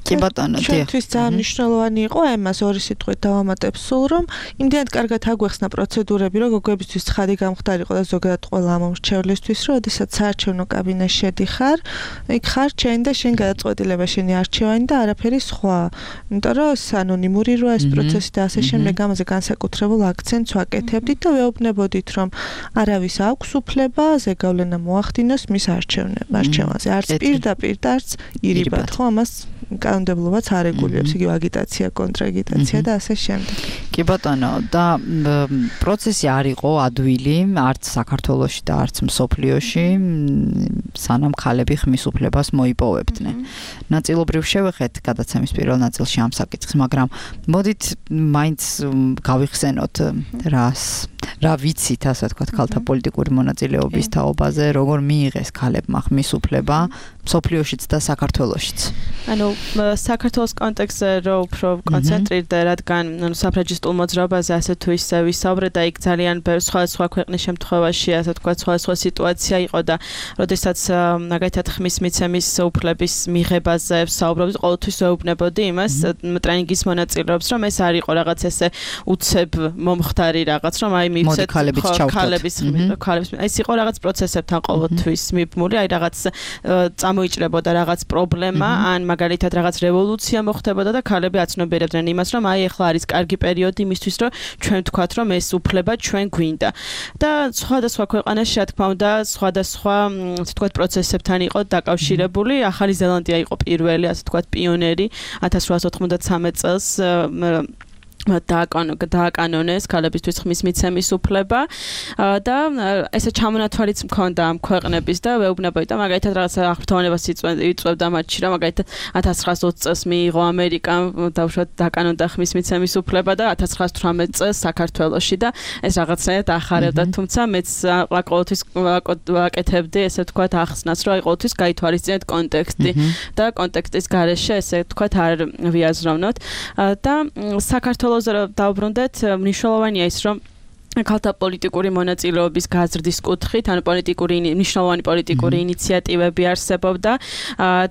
კი ბატონო, ჩვენთვის ძალიან მნიშვნელოვანი იყო ამას ორი სიტყვით დავამატებ სულ, რომ იმდენად კარგად აგვეხსნა პროცედურები, რომ გოგოებისთვის ცხადი გამხდარიყო და ზოგადად ყველა მომრჩევლისთვის, რომ ოდესაც საარჩევნო კაბინეტში შედიხარ, იქ ხარ ჩენ და შენ გადაწყვეტილება შენი არჩევანი და არაფერი სხვა. იმიტომ რომ ანონიმური როა ეს პროცესი და ასე შემდეგ, ამაზე განსაკუთრებულ აქცენტს ვაკეთებდით და ვეუბნებოდით, რომ არავის აქვს უფლება ზეგავლენა მოახდინოს მის არჩევნებს, არჩევანზე. არც პირდაპირ და არც ირიბად, ხო, ამას კანონმდებლობაც არ რეგულირებს, იგივე აგიტაცია, კონტრაგიტაცია და ასე შემდეგ. კი ბატონო, და პროცესი არ იყო ადვილი, არც საქართველოში და არც მსოფლიოში, სანამ ქალები ხმის უფლებას მოიპოვებდნენ. ნაწილობრივ შევეხეთ გადაცემის პირველ ნაწილში ამ საკითხს, მაგრამ მოდით მაინც გავიხსენოთ რას, რა ვიცით, ასე ვთქვათ, ქალთა პოლიტიკური მონაწილეობის თაობაზე, როგორ მიიღეს ქალებმა ხმის უფლება მსოფლიოშიც და საქართველოშიც. ანუ საქართველოს კონტექსტზე რო უფრო კონცენტრირდა, რადგან ანუ საფრანგისტულ მოძრაობაზე ასე თუ ისე ვისაუბრეთ და იქ ძალიან ბევრი სხვადასხვა ქვეყნის შემთხვევაში ასე თქვა სხვადასხვა სიტუაცია იყო და როდესაც მაგალითად ხმის მიცემის უფლების მიღებაზე ვსაუბრობთ, ყოველთვის ვეუბნებოდი იმას ტრენინგის მონაწილეებს, რომ ეს არ იყო რაღაც ესე უცებ მომხდარი რაღაც, რომ აი მივცეთ ქალების ქალების ეს იყო რაღაც პროცესებთან ყოველთვის მიბმული, აი რაღაც წამოიჭრებოდა რაღაც პრობლემა, ან მაგალითად რაღაც რევოლუცია მოხდებოდა და ქალები აცნობიერებდნენ იმას, რომ აი ახლა არის კარგი პერიოდი იმისთვის, რომ ჩვენ ვთქვათ, რომ ეს უფლება ჩვენ გვინდა. და სხვადასხვა ქვეყანაში, რა თქმა უნდა, სხვადასხვა ასე ვთქვათ პროცესებთან იყო დაკავშირებული. ახალი ზელანდია იყო პირველი, ასე ვთქვათ, პიონერი ათას რვაასი ოთხმოცდათრამეტ წელს დააკანონეს ქალებისთვის ხმის მიცემის უფლება და ესე ჩამონათვალიც მქონდა ამ ქვეყნების და ვეუბნებოდი და მაგალითად რაღაც აღფრთოვანებას იწვევდა მათში, რომ მაგალითად ათას ცხრაასი ოცი წელს მიიღო ამერიკამ დაუშვათ დაკანონდა ხმის მიცემის უფლება და ათას ცხრაასი თვრამეტ წელს საქართველოში და ეს რაღაცნაირად ახარებდა, თუმცა მეც ყოველთვის ვაკეთებდი ესე ვთქვათ ახსნას, რომ აი ყოველთვის გაითვალისწინეთ კონტექსტი და კონტექსტის გარეშე ესე ვთქვათ არ ვიაზროვნოთ და საქართველოს დავბრუნდეთ, მნიშვნელოვანია ის, რომ ქალთა პოლიტიკური მონაწილეობის გაზრდის კუთხით, ანუ პოლიტიკური მნიშვნელოვანი პოლიტიკური ინიციატივები არსებობდა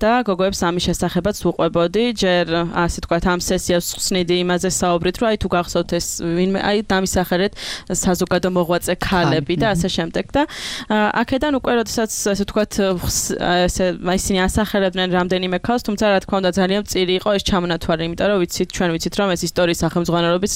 და გოგოებს ამის შესახებაც ვუყვებოდი, ჯერ ასე ვთქვათ, ამ სესიას ხსნიდი იმაზე საუბრით, რომ აი თუ გახსოვთ ეს ვინმე აი დამისახერეთ საზოგადო მოღვაწე ქალები და ასე შემდეგ და აქედან უკვე როდესაც ასე ვთქვათ, ესე ისინი ასახელებდნენ რამდენიმე ქალს, თუმცა რა თქმა უნდა ძალიან მწირი იყო ეს ჩამონათვალი, იმიტომ რომ ვიცით, ჩვენ ვიცით, რომ ეს ისტორიის სახელმძღვანელობიც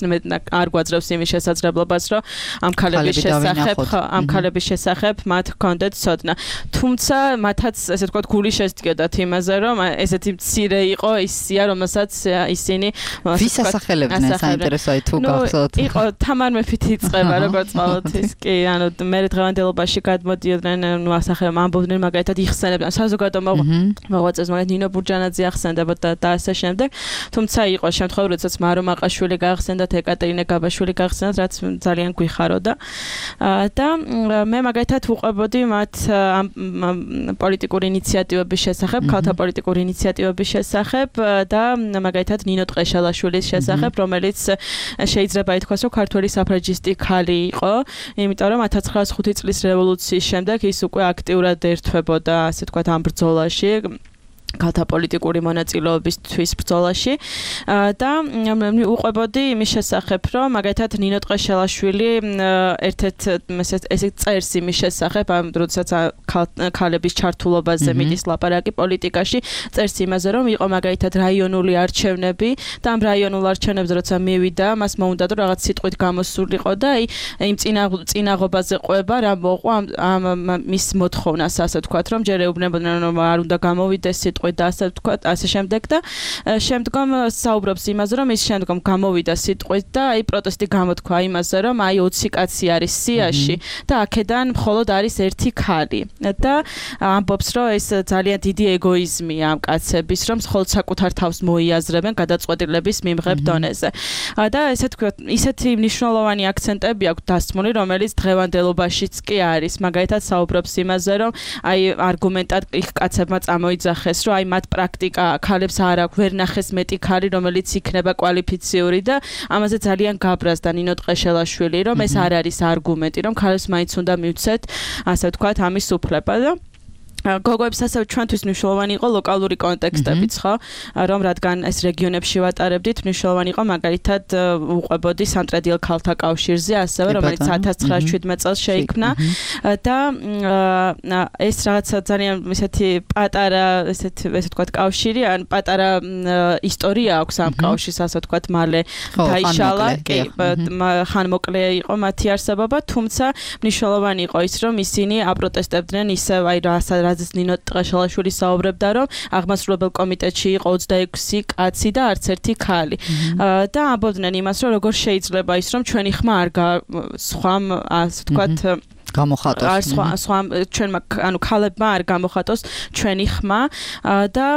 არ გვაძლევს იმის შესაძლებლობას, რომ ამ ქალების შესახებ ამ ქალების შესახებ მათ ჰქონდეთ ცოდნა. თუმცა მათაც ესე ვთქვათ გული შესდგებდათ იმაზე, რომ ესეთი მცირე იყო ის სია, რომელსაც ისინი ვის ასახელებდნენ, საინტერესოა თუ გახსოვთ. იყო თამარ მეფით იწყება როგორც ყოველთვის. კი, ანუ მე დღევანდელობაში გადმოდიოდნენ, ნუ ასახელებდნენ, ამბობდნენ მაგალითად იხსენებდნენ საზოგადო მოღვაწეს, მაგალითად ნინო ბურჯანაძე ახსენდებოდა და ასე შემდეგ. თუმცა იყო შემთხვევა, როდესაც მარო მაყაშვილი გაახსენდათ, ეკატერინე გაბაშვილი გაახსენდათ, რაც ძალიან გვიხაროდა და მე მაგალითად ვუყვებოდი მათ პოლიტიკური ინიციატივების შესახებ, ქალთა პოლიტიკური ინიციატივების შესახებ და მაგალითად ნინო ტყეშელაშვილის შესახებ, რომელიც შეიძლება ითქვას, რომ ქართველი საფრანგისტი ქალი იყო, იმიტომ რომ ათას ცხრაასი ხუთი წლის რევოლუციის შემდეგ ის უკვე აქტიურად ერთვებოდა, ასე ვთქვათ, ამ ბრძოლაში. ქალთა პოლიტიკური მონაწილეობისთვის ბრძოლაში და უყვებოდი იმის შესახებ, რომ მაგალითად ნინო ტყეშელაშვილი ერთ-ერთ ესე წერს იმის შესახებ, ამ როდესაც ქალების ჩართულობაზე მიდის ლაპარაკი პოლიტიკაში, წერს იმაზე, რომ იყო მაგალითად რაიონული არჩევნები და ამ რაიონულ არჩევნებზე როცა მივიდა, მას მოუნდა რომ რაღაც სიტყვით გამოსულიყო და აი იმ წინაღობაზე ყვება რა მოყვა ამ მის მოთხოვნას, ასე ვთქვათ, რომ ჯერ ეუბნებოდნენ, რომ არ უნდა გამოვიდეს სიტყვით და ასე ვთქვათ, ასე შემდეგ და შემდგომ საუბრობს იმაზე, რომ ის შემდგომ გამოვიდა სიტყვით და აი პროტესტი გამოთქვა იმაზე, რომ აი ოცი კაცი არის სიაში და აქედან მხოლოდ არის ერთი ქალი და ამბობს, რომ ეს ძალიან დიდი ეგოიზმია ამ კაცების, რომ მხოლოდ საკუთარ თავს მოიაზრებენ გადაწყვეტილების მიმღებ დონეზე. და ესე ვთქვათ, ისეთი მნიშვნელოვანი აქცენტები აქვს დასმული, რომელიც დღევანდელობაშიც კი არის. მაგალითად საუბრობს იმაზე, რომ აი არგუმენტად იქ კაცებმა წამოიძახეს, რომ აი მათ პრაქტიკა ქალებს არ აქვს, ვერ ნახეს მეტი ქალი, რომელიც იქნება კვალიფიციური და ამაზე ძალიან გაბრაზდა ნინო ტყეშელაშვილი, რომ ეს არ არის არგუმენტი, რომ ქალებს მაინც უნდა მივცეთ, ასე ვთქვათ, ამის უფლება და გოგოებს ასევე ჩვენთვის მნიშვნელოვანი იყო ლოკალური კონტექსტებიც, ხო? რომ რადგან ეს რეგიონებში ვატარებდით, მნიშვნელოვანი იყო მაგალითად უყვებოდი სამტრედიელ ქალთა კავშირზე, ასევე რომელიც ათას ცხრაასი შვიდმეტ წელს შეიქმნა და ეს რაღაცა ძალიან ესეთი პატარა, ესეთი ესე ვთქვათ, კავშირი, ან პატარა ისტორია აქვს ამ კავშირს, ასე ვთქვათ, მალე დაიშალა, კი, ხან მოკლე იყო მათი არსებობა, თუმცა მნიშვნელოვანი იყო ის, რომ ისინი აპროტესტებდნენ ისევ აი რა რაზეც ნინო ტყეშელაშვილი საუბრებდა, რომ აღმასრულებელ კომიტეტში იყო ოცდაექვსი კაცი და არც ერთი ქალი. და ამბობდნენ იმას, რომ როგორ შეიძლება ის, რომ ჩვენი ხმა არ სხვამ, ასე ვთქვათ, გამოხატოს. სხვა სხვა ჩვენმა ანუ ქალებმა არ გამოხატოს ჩვენი ხმა და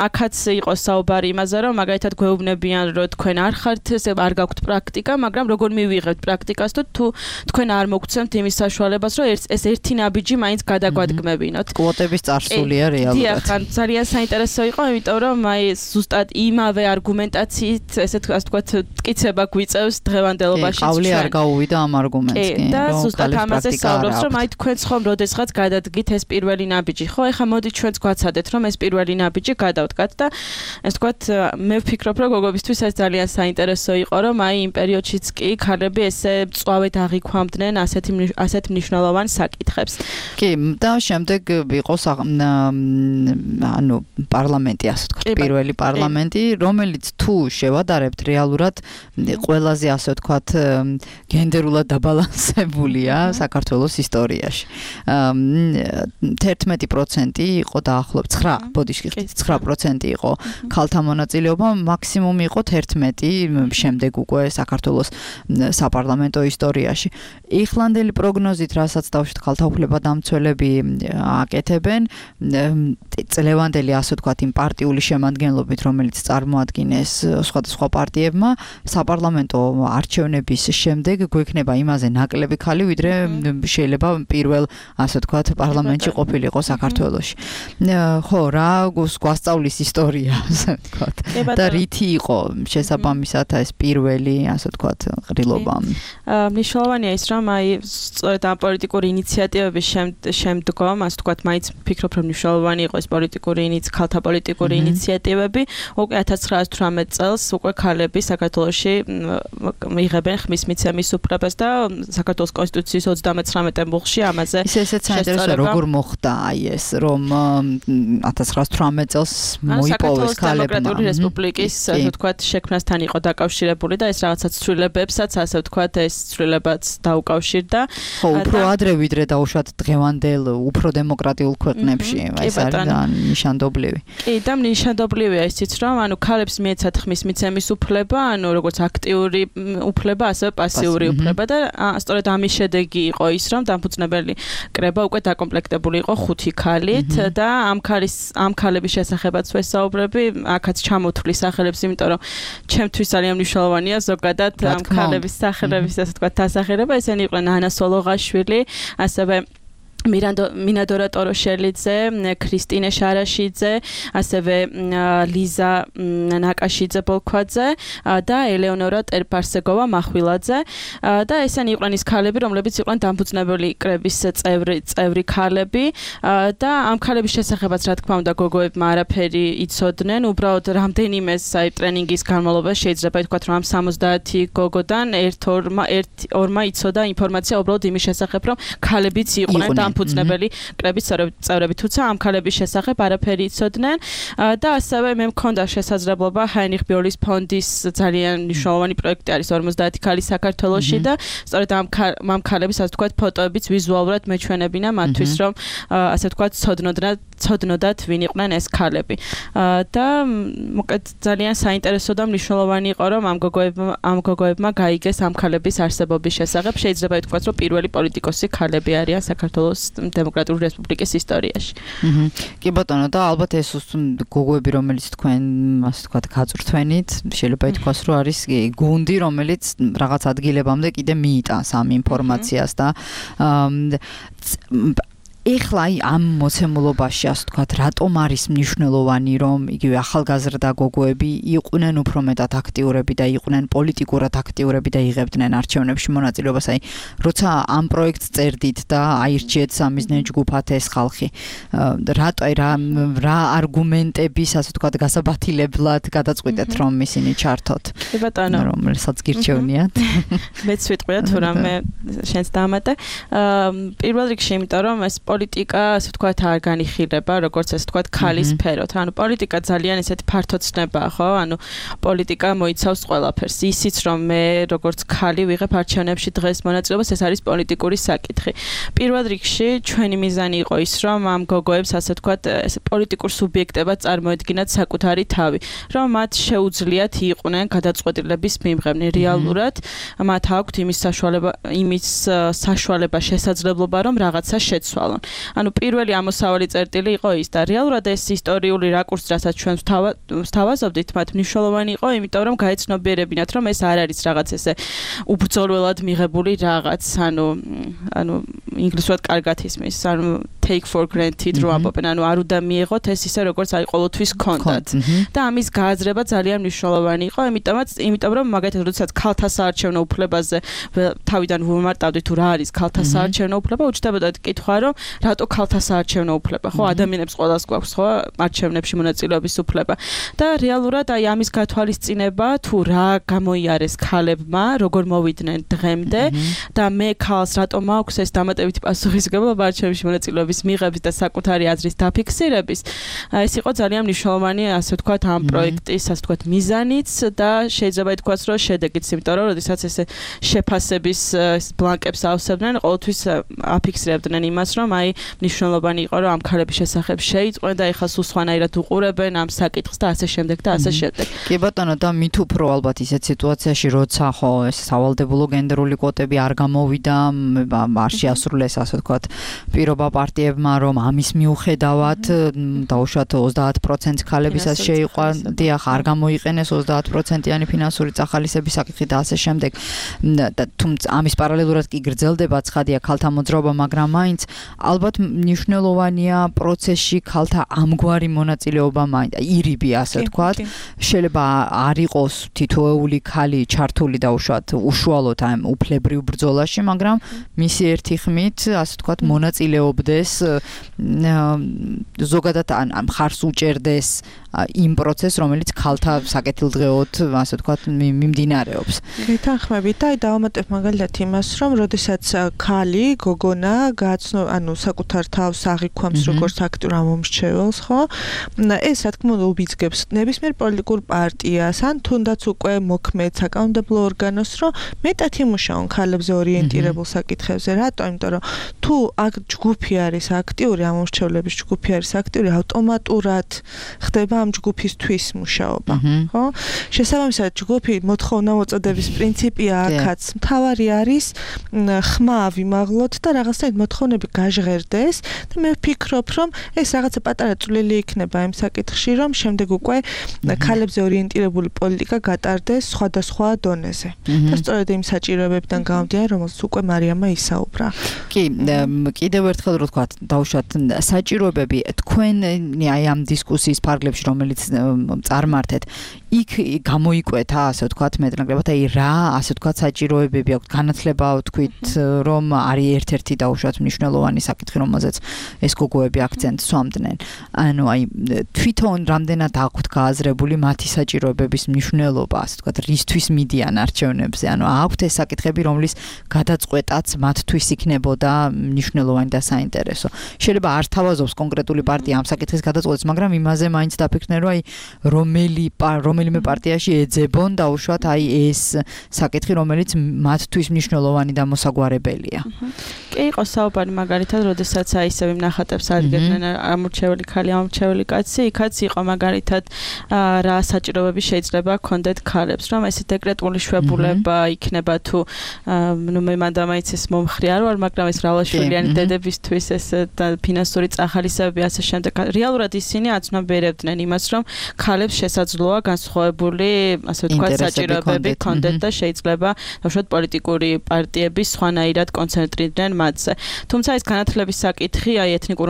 აქაც იყო საუბარი იმაზე, რომ მაგალითად გვეუბნებიან, რომ თქვენ არ ხართ, არ გაქვთ პრაქტიკა, მაგრამ როგორ მივიღებთ პრაქტიკას და თუ თქვენ არ მოგცემთ იმის საშუალებას, რომ ეს ერთი ნაბიჯი მაინც გადაგვადგმებინოთ. კვოტების წარსულია რეალურად. დიახ, ძალიან საინტერესო იყო, იმიტომ რომ აი ზუსტად იმავე არგუმენტაციით, ესეთ ასე ვთქვათ, მტკიცება გვიწევს დღევანდელობაში. ყავლი არ გაუვიდა ამ არგუმენტს კი. და ზუსტად ამაზე საუბრობს, რომ აი თქვენც ხომ როდესღაც გადადგით ეს პირველი ნაბიჯი, ხო? ეხლა მოდი ჩვენც გვაცადეთ, რომ ეს პირველი ნაბიჯი გადავდგათ და ასე ვთქვათ, მე ვფიქრობ, რომ გოგობისთვის ეს ძალიან საინტერესო იყო, რომ აი იმ პერიოდშიც კი ქალები ესე მწვავედ აღიქვამდნენ ასეთი ასეთ მნიშვნელოვან საკითხებს. კი, და შემდეგ იყო ანუ პარლამენტი, ასე ვთქვათ, პირველი პარლამენტი, რომელიც თუ შევადარებთ რეალურად ყველაზე ასე ვთქვათ გენდერულად დაბალანსებულია საქართველოს ისტორიაში. თერთმეტი პროცენტი იყო დაახლოებით ცხრა, ბოდიში ცხრა პროცენტი იყო ქალთა მონაწილეობა, მაქსიმუმი იყო თერთმეტი შემდეგ უკვე საქართველოს საპარლამენტო ისტორიაში. იხლანდელი პროგნოზით, რასაც დავშვით ქალთა უფლებადამცველები აკეთებენ, წლევანდელი ასე ვთქვათ იმ პარტიული შემადგენლობით, რომელიც წარმოადგენს სხვადასხვა პარტიებმა, საპარლამენტო არჩევნების შემდეგ გვექნება იმაზე ნაკლები ქალი, ვიდრე შეიძლება პირველ ასე ვთქვათ პარლამენტში ყოფილიყო საქართველოში. ხო, რა გვასწავლის ისტორია, ასე ვთქვათ. და რითი იყო შესაბამისად ეს პირველი ასე ვთქვათ ყრილობა. მნიშვნელოვანია ის, რომ აი სწორედ ამ პოლიტიკური ინიციატივების შემდგომ, ასე ვთქვათ, მაინც ვფიქრობ, რომ მნიშვნელოვანი იყო ეს პოლიტიკური ინიციატივები, ქალთა პოლიტიკური ინიციატივები. უკვე ათას ცხრაას ოცდაათი წელს უკვე ქალები საქართველოში მიიღებენ ხმის მიცემის უფლებას და საქართველოს კონსტიტუციის ოცდამეცხრამეტე მუხლში ამაზე ისე ესეც საინტერესოა, როგორ მოხდა აი ეს, რომ ათას ცხრაას ოცდაათი წელს მოიპოვეს ქალებმა. დემოკრატიული რესპუბლიკის, ასე ვთქვათ, შექმნასთან იყო დაკავშირებული და ეს რაღაცა ცვლილებებსაც, ასე ვთქვათ, ეს ცვლილებაც დაუკავშირდა. ხო, უფრო ადრე ვიდრე დაუშვათ დღევანდელ უფრო დემოკრატიულ ქვეყნებში, ეს არის ნიშანდობლივი. კი, და ნიშანდობლივია ისიც, რომ ანუ ქალებს მიეცათ ხმის მიცემის უფლება, ანუ როგორც აქტიური უფლება, ასევე პასიური უფლება და სწორედ ამის შედეგი იყო ის, რომ დამფუძნებელი კრება უკვე დაკომპლექტებული იყო ხუთი ქალით და ამ ქალის ამ ქალების შესახებაც ვესაუბრები, აქაც ჩამოთვლი სახელებს, იმიტომ რომ ჩემთვის ძალიან მნიშვნელოვანია ზოგადად ამ ქალების სახელების, ასე ვთქვათ, დასახელება. ესენი იყვნენ ანა სოლოღაშვილი, ასევე მინადორა ტოროშელიძე, ქრისტინე შარაშიძე, ასევე ლიზა ნაკაშიძე ბოლქვაძე და ელეონორა ტერპარსეგოვა მახვილაძე და ესენი იყვნენ ის ქალები, რომლებიც იყვნენ დამფუძნებელი კრების წევრი წევრი ქალები და ამ ქალების შესახებაც რა თქმა უნდა გოგოებმა არაფერი იცოდნენ, უბრალოდ რამდენიმე აი ტრენინგის განმავლობაში შეიძლება ითქვათ, რომ ამ სამოცდაათი გოგოდან ერთ ორმა ერთ ორმა იცოდა ინფორმაცია უბრალოდ იმის შესახებ, რომ ქალებიც იყვნენ დამფუძნებელი კრების წევრები, თუმცა ამ ქალების შესახებ არაფერი იცოდნენ და ასევე მე მქონდა შესაძლებლობა ჰაინრიხ ბიოლის ფონდის ძალიან მნიშვნელოვანი პროექტი არის ორმოცდაათი ქალი საქართველოში და სწორედ ამ ამ ქალების ასე ვთქვათ ფოტოებიც ვიზუალურად მეჩვენებინა მათთვის, რომ ასე ვთქვათ ცოდნოდათ ცოდნოდათ ვინ იყვნენ ეს ქალები და მოკეთ ძალიან საინტერესო და მნიშვნელოვანი იყო, რომ ამ გოგოებმა ამ გოგოებმა გაიგეს ამ ქალების არსებობის შესახებ. შეიძლება ითქვას, რომ პირველი პოლიტიკოსი ქალები არიან საქართველოს დემოკრატიული რესპუბლიკის ისტორიაში. აჰა. კი ბატონო, და ალბათ ეს გოგოები, რომელიც თქვენ ასე ვთქვათ გაწვრთვენით, შეიძლება ითქვას, რომ არის გუნდი, რომელიც რაღაც ადგილებამდე კიდე მიიტანს ამ ინფორმაციას და ეხლა ამ მოცემულობაში ასე ვთქვათ, რატომ არის მნიშვნელოვანი, რომ იგივე ახალგაზრდა გოგოები იყვნენ უფრო მეტად აქტიურები და იყვნენ პოლიტიკურად აქტიურები და იღებდნენ არჩევნებში მონაწილეობას, აი, როცა ამ პროექტს წერდით და აირჩიეთ სამიზნე ჯგუფად ეს ხალხი, რატო რა რა არგუმენტების ასე ვთქვათ გასაბათილებლად გადაწყვიტეთ, რომ ისინი ჩართოთ? კი ბატონო, რომელსაც გირჩევნიათ. მეც ვიტყვია თუ რამე შენს დამატე. პირველ რიგში, იმიტომ რომ ეს პოლიტიკა, ასე ვთქვათ, არ განიხილება, როგორც ასე ვთქვათ, ქალის სფეროთ. ანუ პოლიტიკა ძალიან ესეთი ფართო ცნებაა, ხო? ანუ პოლიტიკა მოიცავს ყველაფერს. ისიც რომ მე როგორც ქალი ვიღებ არჩევნებში დღეს მონაწილეობას, ეს არის პოლიტიკური საკითხი. პირველ რიგში ჩვენი მიზანი იყო ის, რომ ამ გოგოებს ასე ვთქვათ, ეს პოლიტიკურ სუბიექტებად წარმოედგინათ საკუთარი თავი, რომ მათ შეუძლიათ იყვნენ გადაწყვეტილების მიმღებნი. რეალურად მათ აქვთ იმის საშუალება, იმის საშუალება, შესაძლებლობა, რომ რაღაცა შეცვალონ. ანუ პირველი ამოსავალი წერტილი იყო ის და რეალურად ეს ისტორიული რაკურსი, რასაც ჩვენ ვთავაზობდით, მათ მნიშვნელოვანი იყო, იმიტომ რომ გაეცნობიერებინათ, რომ ეს არ არის რაღაც ესე უბრძოლველად მიღებული რაღაც, ანუ ანუ ინგლისურად კარგად ისმის, ანუ take for granted რო ამბობენ, ანუ არ უნდა მიიღოთ ეს ისე როგორც აი ყოველთვის გქონდათ. და ამის გააზრება ძალიან მნიშვნელოვანი იყო, იმიტომაც, იმიტომ რომ მაგალითად, როდესაც ქალთა საარჩევნო უფლებაზე თავიდან ვუმარტავდი თუ რა არის ქალთა საარჩევნო უფლება, უჩნდებოდათ კითხვა, რომ რატო ქალთა საარჩევნო უფლება, ხო, ადამიანებს ყველას გვაქვს, ხო, არჩევნებში მონაწილეობის უფლება. და რეალურად აი ამის გათვალისწინება, თუ რა გამოიარეს ქალებმა, როგორ მოვიდნენ დღემდე და მე ქალს რატომ მაქვს ეს დამატებითი პასუხისმგებლობა არჩევნებში მონაწილეობის მიღების და საკუთარი აზრის დაფიქსირების, ეს იყო ძალიან მნიშვნელოვანი, ასე ვთქვათ, ამ პროექტის, ასე ვთქვათ, მიზანიც და შეიძლება ითქვას, რომ შედეგიც, იმიტომ რომ როდესაც ესე შეფასების ბლანკებს ავსებდნენ, ყოველთვის აფიქსირებდნენ იმას, რომ აი მნიშვნელოვანი იყო, რომ ამ ქალების შესახებ შეიწყვენ და ეხლა სულ სხვანაირად უყურებენ ამ საკითხს და ასე შემდეგ და ასე შემდეგ. კი ბატონო, და მით უფრო ალბათ ისეთ სიტუაციაში, როცა ხო ეს სავალდებულო გენდერული კვოტები არ გამოვიდა, არ შეასრულეს, ასე ვთქვათ, პირობა პარტიებმა, რომ ამის მიუხედავად დაუშვათ ოცდაათ პროცენტს ქალებისაც შეიყვა, დიახ, არ გამოიყენეს ოცდაათ პროცენტიანი ფინანსური წახალისების საკითხი და ასე შემდეგ. და თუმცა ამის პარალელურად კი გრძელდება ცხადია ქალთა მოძრაობა, მაგრამ მაინც ალბათ მნიშვნელოვანია პროცესში ქალთა ამგვარი მონაწილეობა მაინც ირიბი, ასე ვთქვათ. შეიძლება არ იყოს თითოეული ქალი ჩართული დაუშვათ უშუალოდ ამ უფლებრივ ბრძოლაში, მაგრამ მისი ერთი ხმით, ასე ვთქვათ, მონაწილეობდეს ზოგადად ან მხარს უჭერდეს იმ პროცესს, რომელიც ქალთა საკეთილდღეოდ, ასე ვთქვათ, მიმდინარეობს. გითანხმებით და აი დავამატებ მაგალითად იმას, რომ როდესაც ქალი, გოგონა გააცნო, ანუ საკუთარ თავს აღიქვამს როგორც აქტიურ ამომრჩეველს, ხო? ეს რა თქმა უნდა უბიძგებს ნებისმიერ პოლიტიკურ პარტიას, ან თუნდაც უკვე მოქმედ საკანონმდებლო ორგანოს, რომ მეტად იმუშაონ ქალებზე ორიენტირებულ საკითხებზე. რატო? იმიტომ რომ თუ აქ ჯგუფი არის აქტიური, ამომრჩევლების ჯგუფი არის აქტიური, ავტომატურად ხდება ამ ჯგუფისთვის მუშაობა, ხო? შესაბამისად, ჯგუფი მოთხოვნა-მოწოდების პრინციპია აქაც მთავარი არის ხმა ავიმაღლოთ და რაღაცნაირად მოთხოვნები გაჟღერდეს და მე ვფიქრობ, რომ ეს რაღაცა პატარა წვლილი იქნება იმ საკითხში, რომ შემდეგ უკვე ქალებზე ორიენტირებული პოლიტიკა გატარდეს სხვადასხვა დონეზე. და სწორედ იმ საჭიროებებიდან გამომდინარე, რომელსაც უკვე მარიამა ისაუბრა. კი, კიდევ ერთხელ რო ვთქვათ, დავუშვათ საჭიროებები თქვენ აი ამ დისკუსიის ფარგლებში, რომელიც წარმართეთ, იქ გამოიკვეთა, ასე ვთქვათ, მეტნაკლებად აი რა, ასე ვთქვათ, საჭიროებები აქვს, განათლება ვთქვით, რომ არის ერთ-ერთი დაუშვათ მნიშვნელოვანი საკითხი, რომელზეც ეს გოგოები აქცენტს სვამდნენ. ანუ აი თვითონ რამდენად აქვთ გააზრებული მათი საჭიროებების მნიშვნელობა, ასე ვთქვათ, რისთვის მიდიან არჩევნებზე. ანუ აქვთ ეს საკითხები, რომლის გადაწყვეტაც მათთვის იქნებოდა მნიშვნელოვანი და საინტერესო. შეიძლება არ თავაზობს კონკრეტული პარტია ამ საკითხის გადაწყვეტას, მაგრამ იმაზე მაინც დაფიქრდნენ, რომ აი რომელი რომელიმე პარტიაში ეძებონ დაუშვათ აი ეს საკითხი, რომელიც მათთვის მნიშვნელოვანი და მოსაგვარებელია. კი, იყო საუბარი მაგალითად, როდესაც აი ისევ იმ ნახატებს ადგენდნენ ამორჩეველი ქალი, ამორჩეველი კაცი, იქაც იყო მაგალითად რა საჭიროებები შეიძლება ჰქონდეთ ქალებს, რომ ეს დეკრეტული შვებულება იქნება თუ ნუ მე მანდ მაინც ეს მომხრე არ ვარ, მაგრამ ეს რავაშვილიანი დედებისთვის ეს ფინანსური წახალისებები ასე შემდეგ. რეალურად ისინი აცნობიერებდნენ იმას, რომ ქალებს შესაძლოა განსხვავებული, ასე ვთქვათ, საჭიროებები ჰქონდეთ და შეიძლება ბავშვად პოლიტიკური პარტიების სხვანაირად კონცენტრირდნენ მათზე. თუმცა ეს განათლების საკითხი, აი ეთნიკური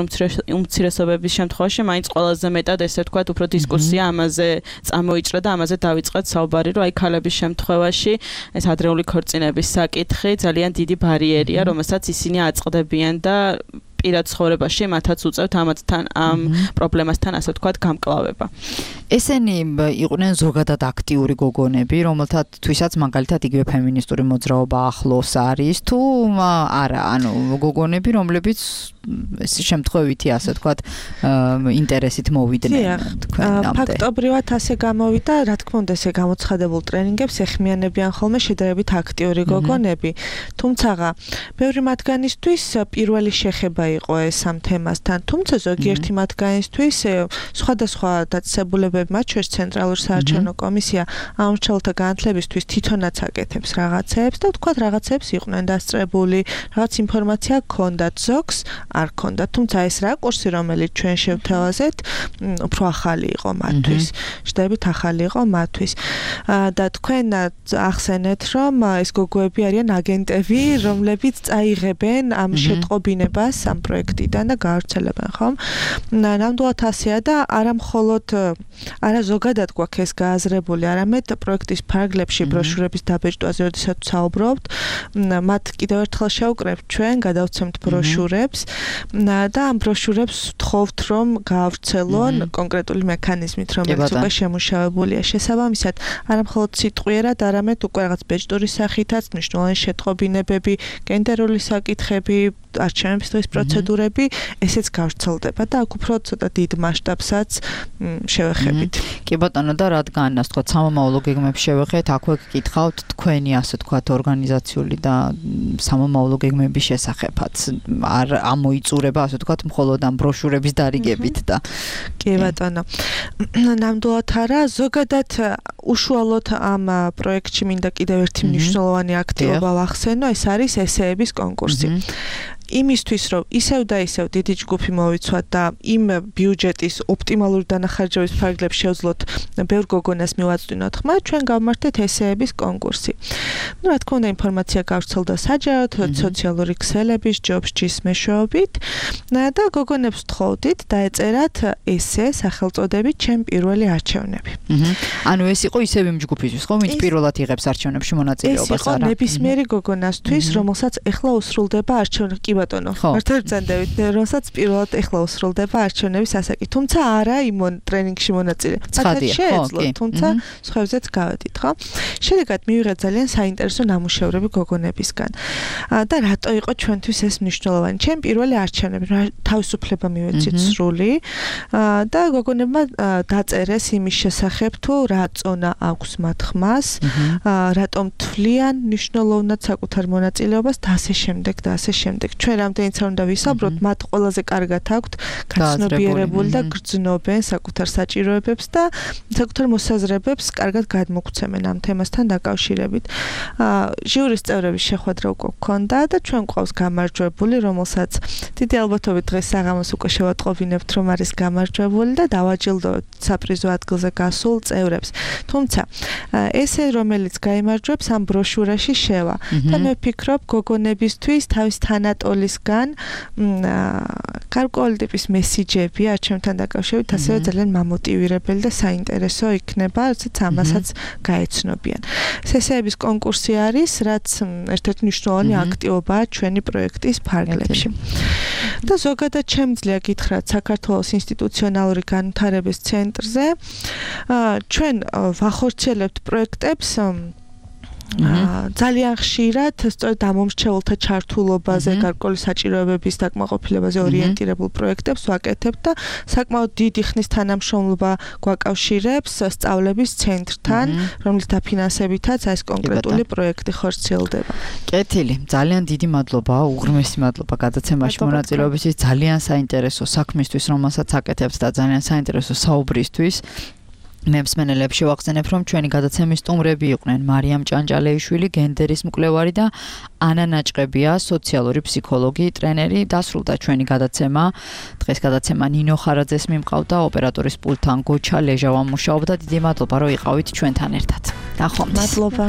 უმცირესობების შემთხვევაში მაინც ყველაზე მეტად ესე ვთქვათ, უფრო დისკუსია ამაზე წამოიჭრა და ამაზე დავიწყეთ საუბარი, რომ აი ქალების შემთხვევაში ეს ადრეული ქორწინების საკითხი ძალიან დიდი ბარიერია, რომელსაც ისინი აწყდებიან და პირად ცხოვრებაში მათაც უწევთ ამათთან ამ პრობლემასთან ასე ვთქვათ გამკლავება. ესენი იყვნენ ზოგადად აქტიური გოგონები, რომელთათვისაც მაგალითად იგივე ფემინისტური მოძრაობა ახლოს არის თუ არა, ანუ გოგონები, რომლებიც ეს შემთხვევითი ასე ვთქვათ ინტერესით მოვიდნენ თქვენამდე. ფაქტობრივად ასე გამოვიდა, რა თქმა უნდა, ესე გამოცხადებულ ტრენინგებს ეხმიანებიან ხოლმე შედარებით აქტიური გოგონები, თუმცა ბევრი მათგანისთვის პირველი შეხება იყო ეს ამ თემასთან, თუმცა ზოგიერთი მათგანისთვის სხვადასხვა დაწესებულებები, მათ შორის ცენტრალური საარჩევნო კომისია ამ მრჩეველთა განათლებისთვის თვითონაც აკეთებს რაღაცებს და ვთქვათ რაღაცებს იყვნენ დასწრებული, რაღაც ინფორმაცია ჰქონდათ, ზოგს არ ჰქონდათ, თუმცა ეს რაკურსი, რომელიც ჩვენ შევთავაზეთ, უფრო ახალი იყო მათთვის, შედარებით ახალი იყო მათთვის. და თქვენ ახსენეთ, რომ ეს გოგოები არიან აგენტები, რომლებიც წაიღებენ ამ შეტყობინებას ამ პროექტიდან და გაავრცელებენ, ხომ? ნამდვილად ასეა და არა მხოლოდ არა ზოგადად გვაქვს ეს გააზრებული, არამედ პროექტის ფარგლებში ბროშურების დაბეჭდვაზე, როდესაც საუბრობთ, მათ კიდევ ერთხელ შევკრებთ ჩვენ, გადავცემთ ბროშურებს და ამ ბროშურებს ვთხოვთ, რომ გაავრცელონ კონკრეტული მექანიზმით, რომელიც უკვე შემუშავებულია. შესაბამისად, არა მხოლოდ სიტყვიერად, არამედ უკვე რაღაც ბეჭდური სახითაც მნიშვნელოვანი შეტყობინებები, გენდერული საკითხები, არჩევნების დღის პროცედურები, ესეც გავრცელდება და აქ უფრო ცოტა დიდ მასშტაბსაც შევეხებით. კი ბატონო, და რადგან ასე ვთქვათ, სამომავლო გეგმებს შევეხეთ, აქვე გკითხავთ თქვენი ასე ვთქვათ ორგანიზაციული და სამომავლო გეგმების შესახებაც. არ ამოიწურება ასე ვთქვათ, მხოლოდ ამ ბროშურების დარიგებით და კი ბატონო. ნამდვილად არა, ზოგადად უშუალოდ ამ პროექტში მინდა კიდევ ერთი მნიშვნელოვანი აქტივობა ვახსენო, ეს არის ესეების კონკურსი. იმისთვის, რომ ისევ და ისევ დიდი ჯგუფი მოვიცვათ და იმ ბიუჯეტის ოპტიმალური დანახარჯების ფარგლებს შევძლოთ ბევრ გოგონას მივაწვდინოთ ხმა, ჩვენ გავმართეთ ესეების კონკურსი. ნუ რა თქმა უნდა, ინფორმაცია გავრცელდა საჯაროდ, სოციალური ქსელების, ჯობსჯის მეშვეობით და გოგონებს ვთხოვდით დაეწერათ ესე სახელწოდებით ჩემ პირველი არჩევნები. ანუ ეს იყო ისევ იმ ჯგუფისთვის, ხო, ვინც პირველად იღებს არჩევნებში მონაწილეობას, არა? ეს იყო ნებისმიერი გოგონასთვის, რომელსაც ეხლა უსრულდება არჩევნები. ბატონო, მართლა წანდებით, რომელსაც პირველად ეხლა უსრულდება არჩევნების ასაკი, თუმცა არა იმ ტრენინგში მონაწილე. მათაც შეეძლოთ, თუმცა სხვებზეც გავედით, ხო? შედეგად მივიღეთ ძალიან საინტერესო ნამუშევრები გოგონებისგან. და რატო იყო ჩვენთვის ეს მნიშვნელოვანი? ჩემ პირველი არჩევნები, თავისუფლება მივეცით სრული და გოგონებმა დაწერეს იმის შესახებ, თუ რა წონა აქვს მათ ხმას, რატომ თვლიან მნიშვნელოვნად საკუთარ მონაწილეობას და ასე შემდეგ და ასე შემდეგ. ჩვენ რამდენიც არ უნდა ვისაუბროთ, მათ ყველაზე კარგად აქვთ გაცნობიერებული და გრძნობენ საკუთარ საჭიროებებს და საკუთარ მოსაზრებებს კარგად გადმოგვცემენ ამ თემასთან დაკავშირებით. ჟიურის წევრების შეხვედრა უკვე გქონდა და ჩვენ გვყავს გამარჯვებული, რომელსაც დიდი ალბათობით დღეს საღამოს უკვე შევატყობინებთ, რომ არის გამარჯვებული და დავაჯილდოვებთ საპრიზო ადგილზე გასულ წევრებს. თუმცა ესე რომელიც გაიმარჯვებს ამ ბროშურაში შევა და მე ვფიქრობ გოგონებისთვის თავის თანატოლისგან გარკვეული ტიპის მესიჯები არჩევნთან დაკავშირებით ასევე ძალიან მამოტივირებელი და საინტერესო იქნება, როდესაც ამასაც გაეცნობიან. ესეების კონკურსი არის, რაც ერთ-ერთი მნიშვნელოვანი აქტივობაა ჩვენი პროექტის ფარგლებში. და ზოგადად შემიძლია გითხრათ საქართველოს ინსტიტუციონალური განვითარების ცენტრზე ჩვენ ვახორციელებთ პროექტებს ძალიან ხშირად სწორედ ამომრჩეველთა ჩართულობაზე, გარკვეული საჭიროებების დაკმაყოფილებაზე ორიენტირებულ პროექტებს ვაკეთებთ და საკმაოდ დიდი ხნის თანამშრომლობა გვაკავშირებს სწავლების ცენტრთან, რომლის დაფინანსებითაც ეს კონკრეტული პროექტი ხორციელდება. კეთილი, ძალიან დიდი მადლობა, უღრმესი მადლობა გადაცემაში მონაწილეობისთვის, ძალიან საინტერესო საქმისთვის, რომელსაც აკეთებთ და ძალიან საინტერესო საუბრისთვის. მემსმენელებს შევახსენებ, რომ ჩვენი გადაცემის სტუმრები იყვნენ მარიამ ჭანჭალეიშვილი, გენდერის მკვლევარი და ანა ნაჭყებია, სოციალური ფსიქოლოგი, ტრენერი. დასრულდა ჩვენი გადაცემა. დღეს გადაცემა ნინო ხარაძეს მიმყავდა, ოპერატორის პულტთან გოჩა ლეჟავა მუშაობდა. დიდი მადლობა, რომ იყავით ჩვენთან ერთად. ნახვამდის. მადლობა.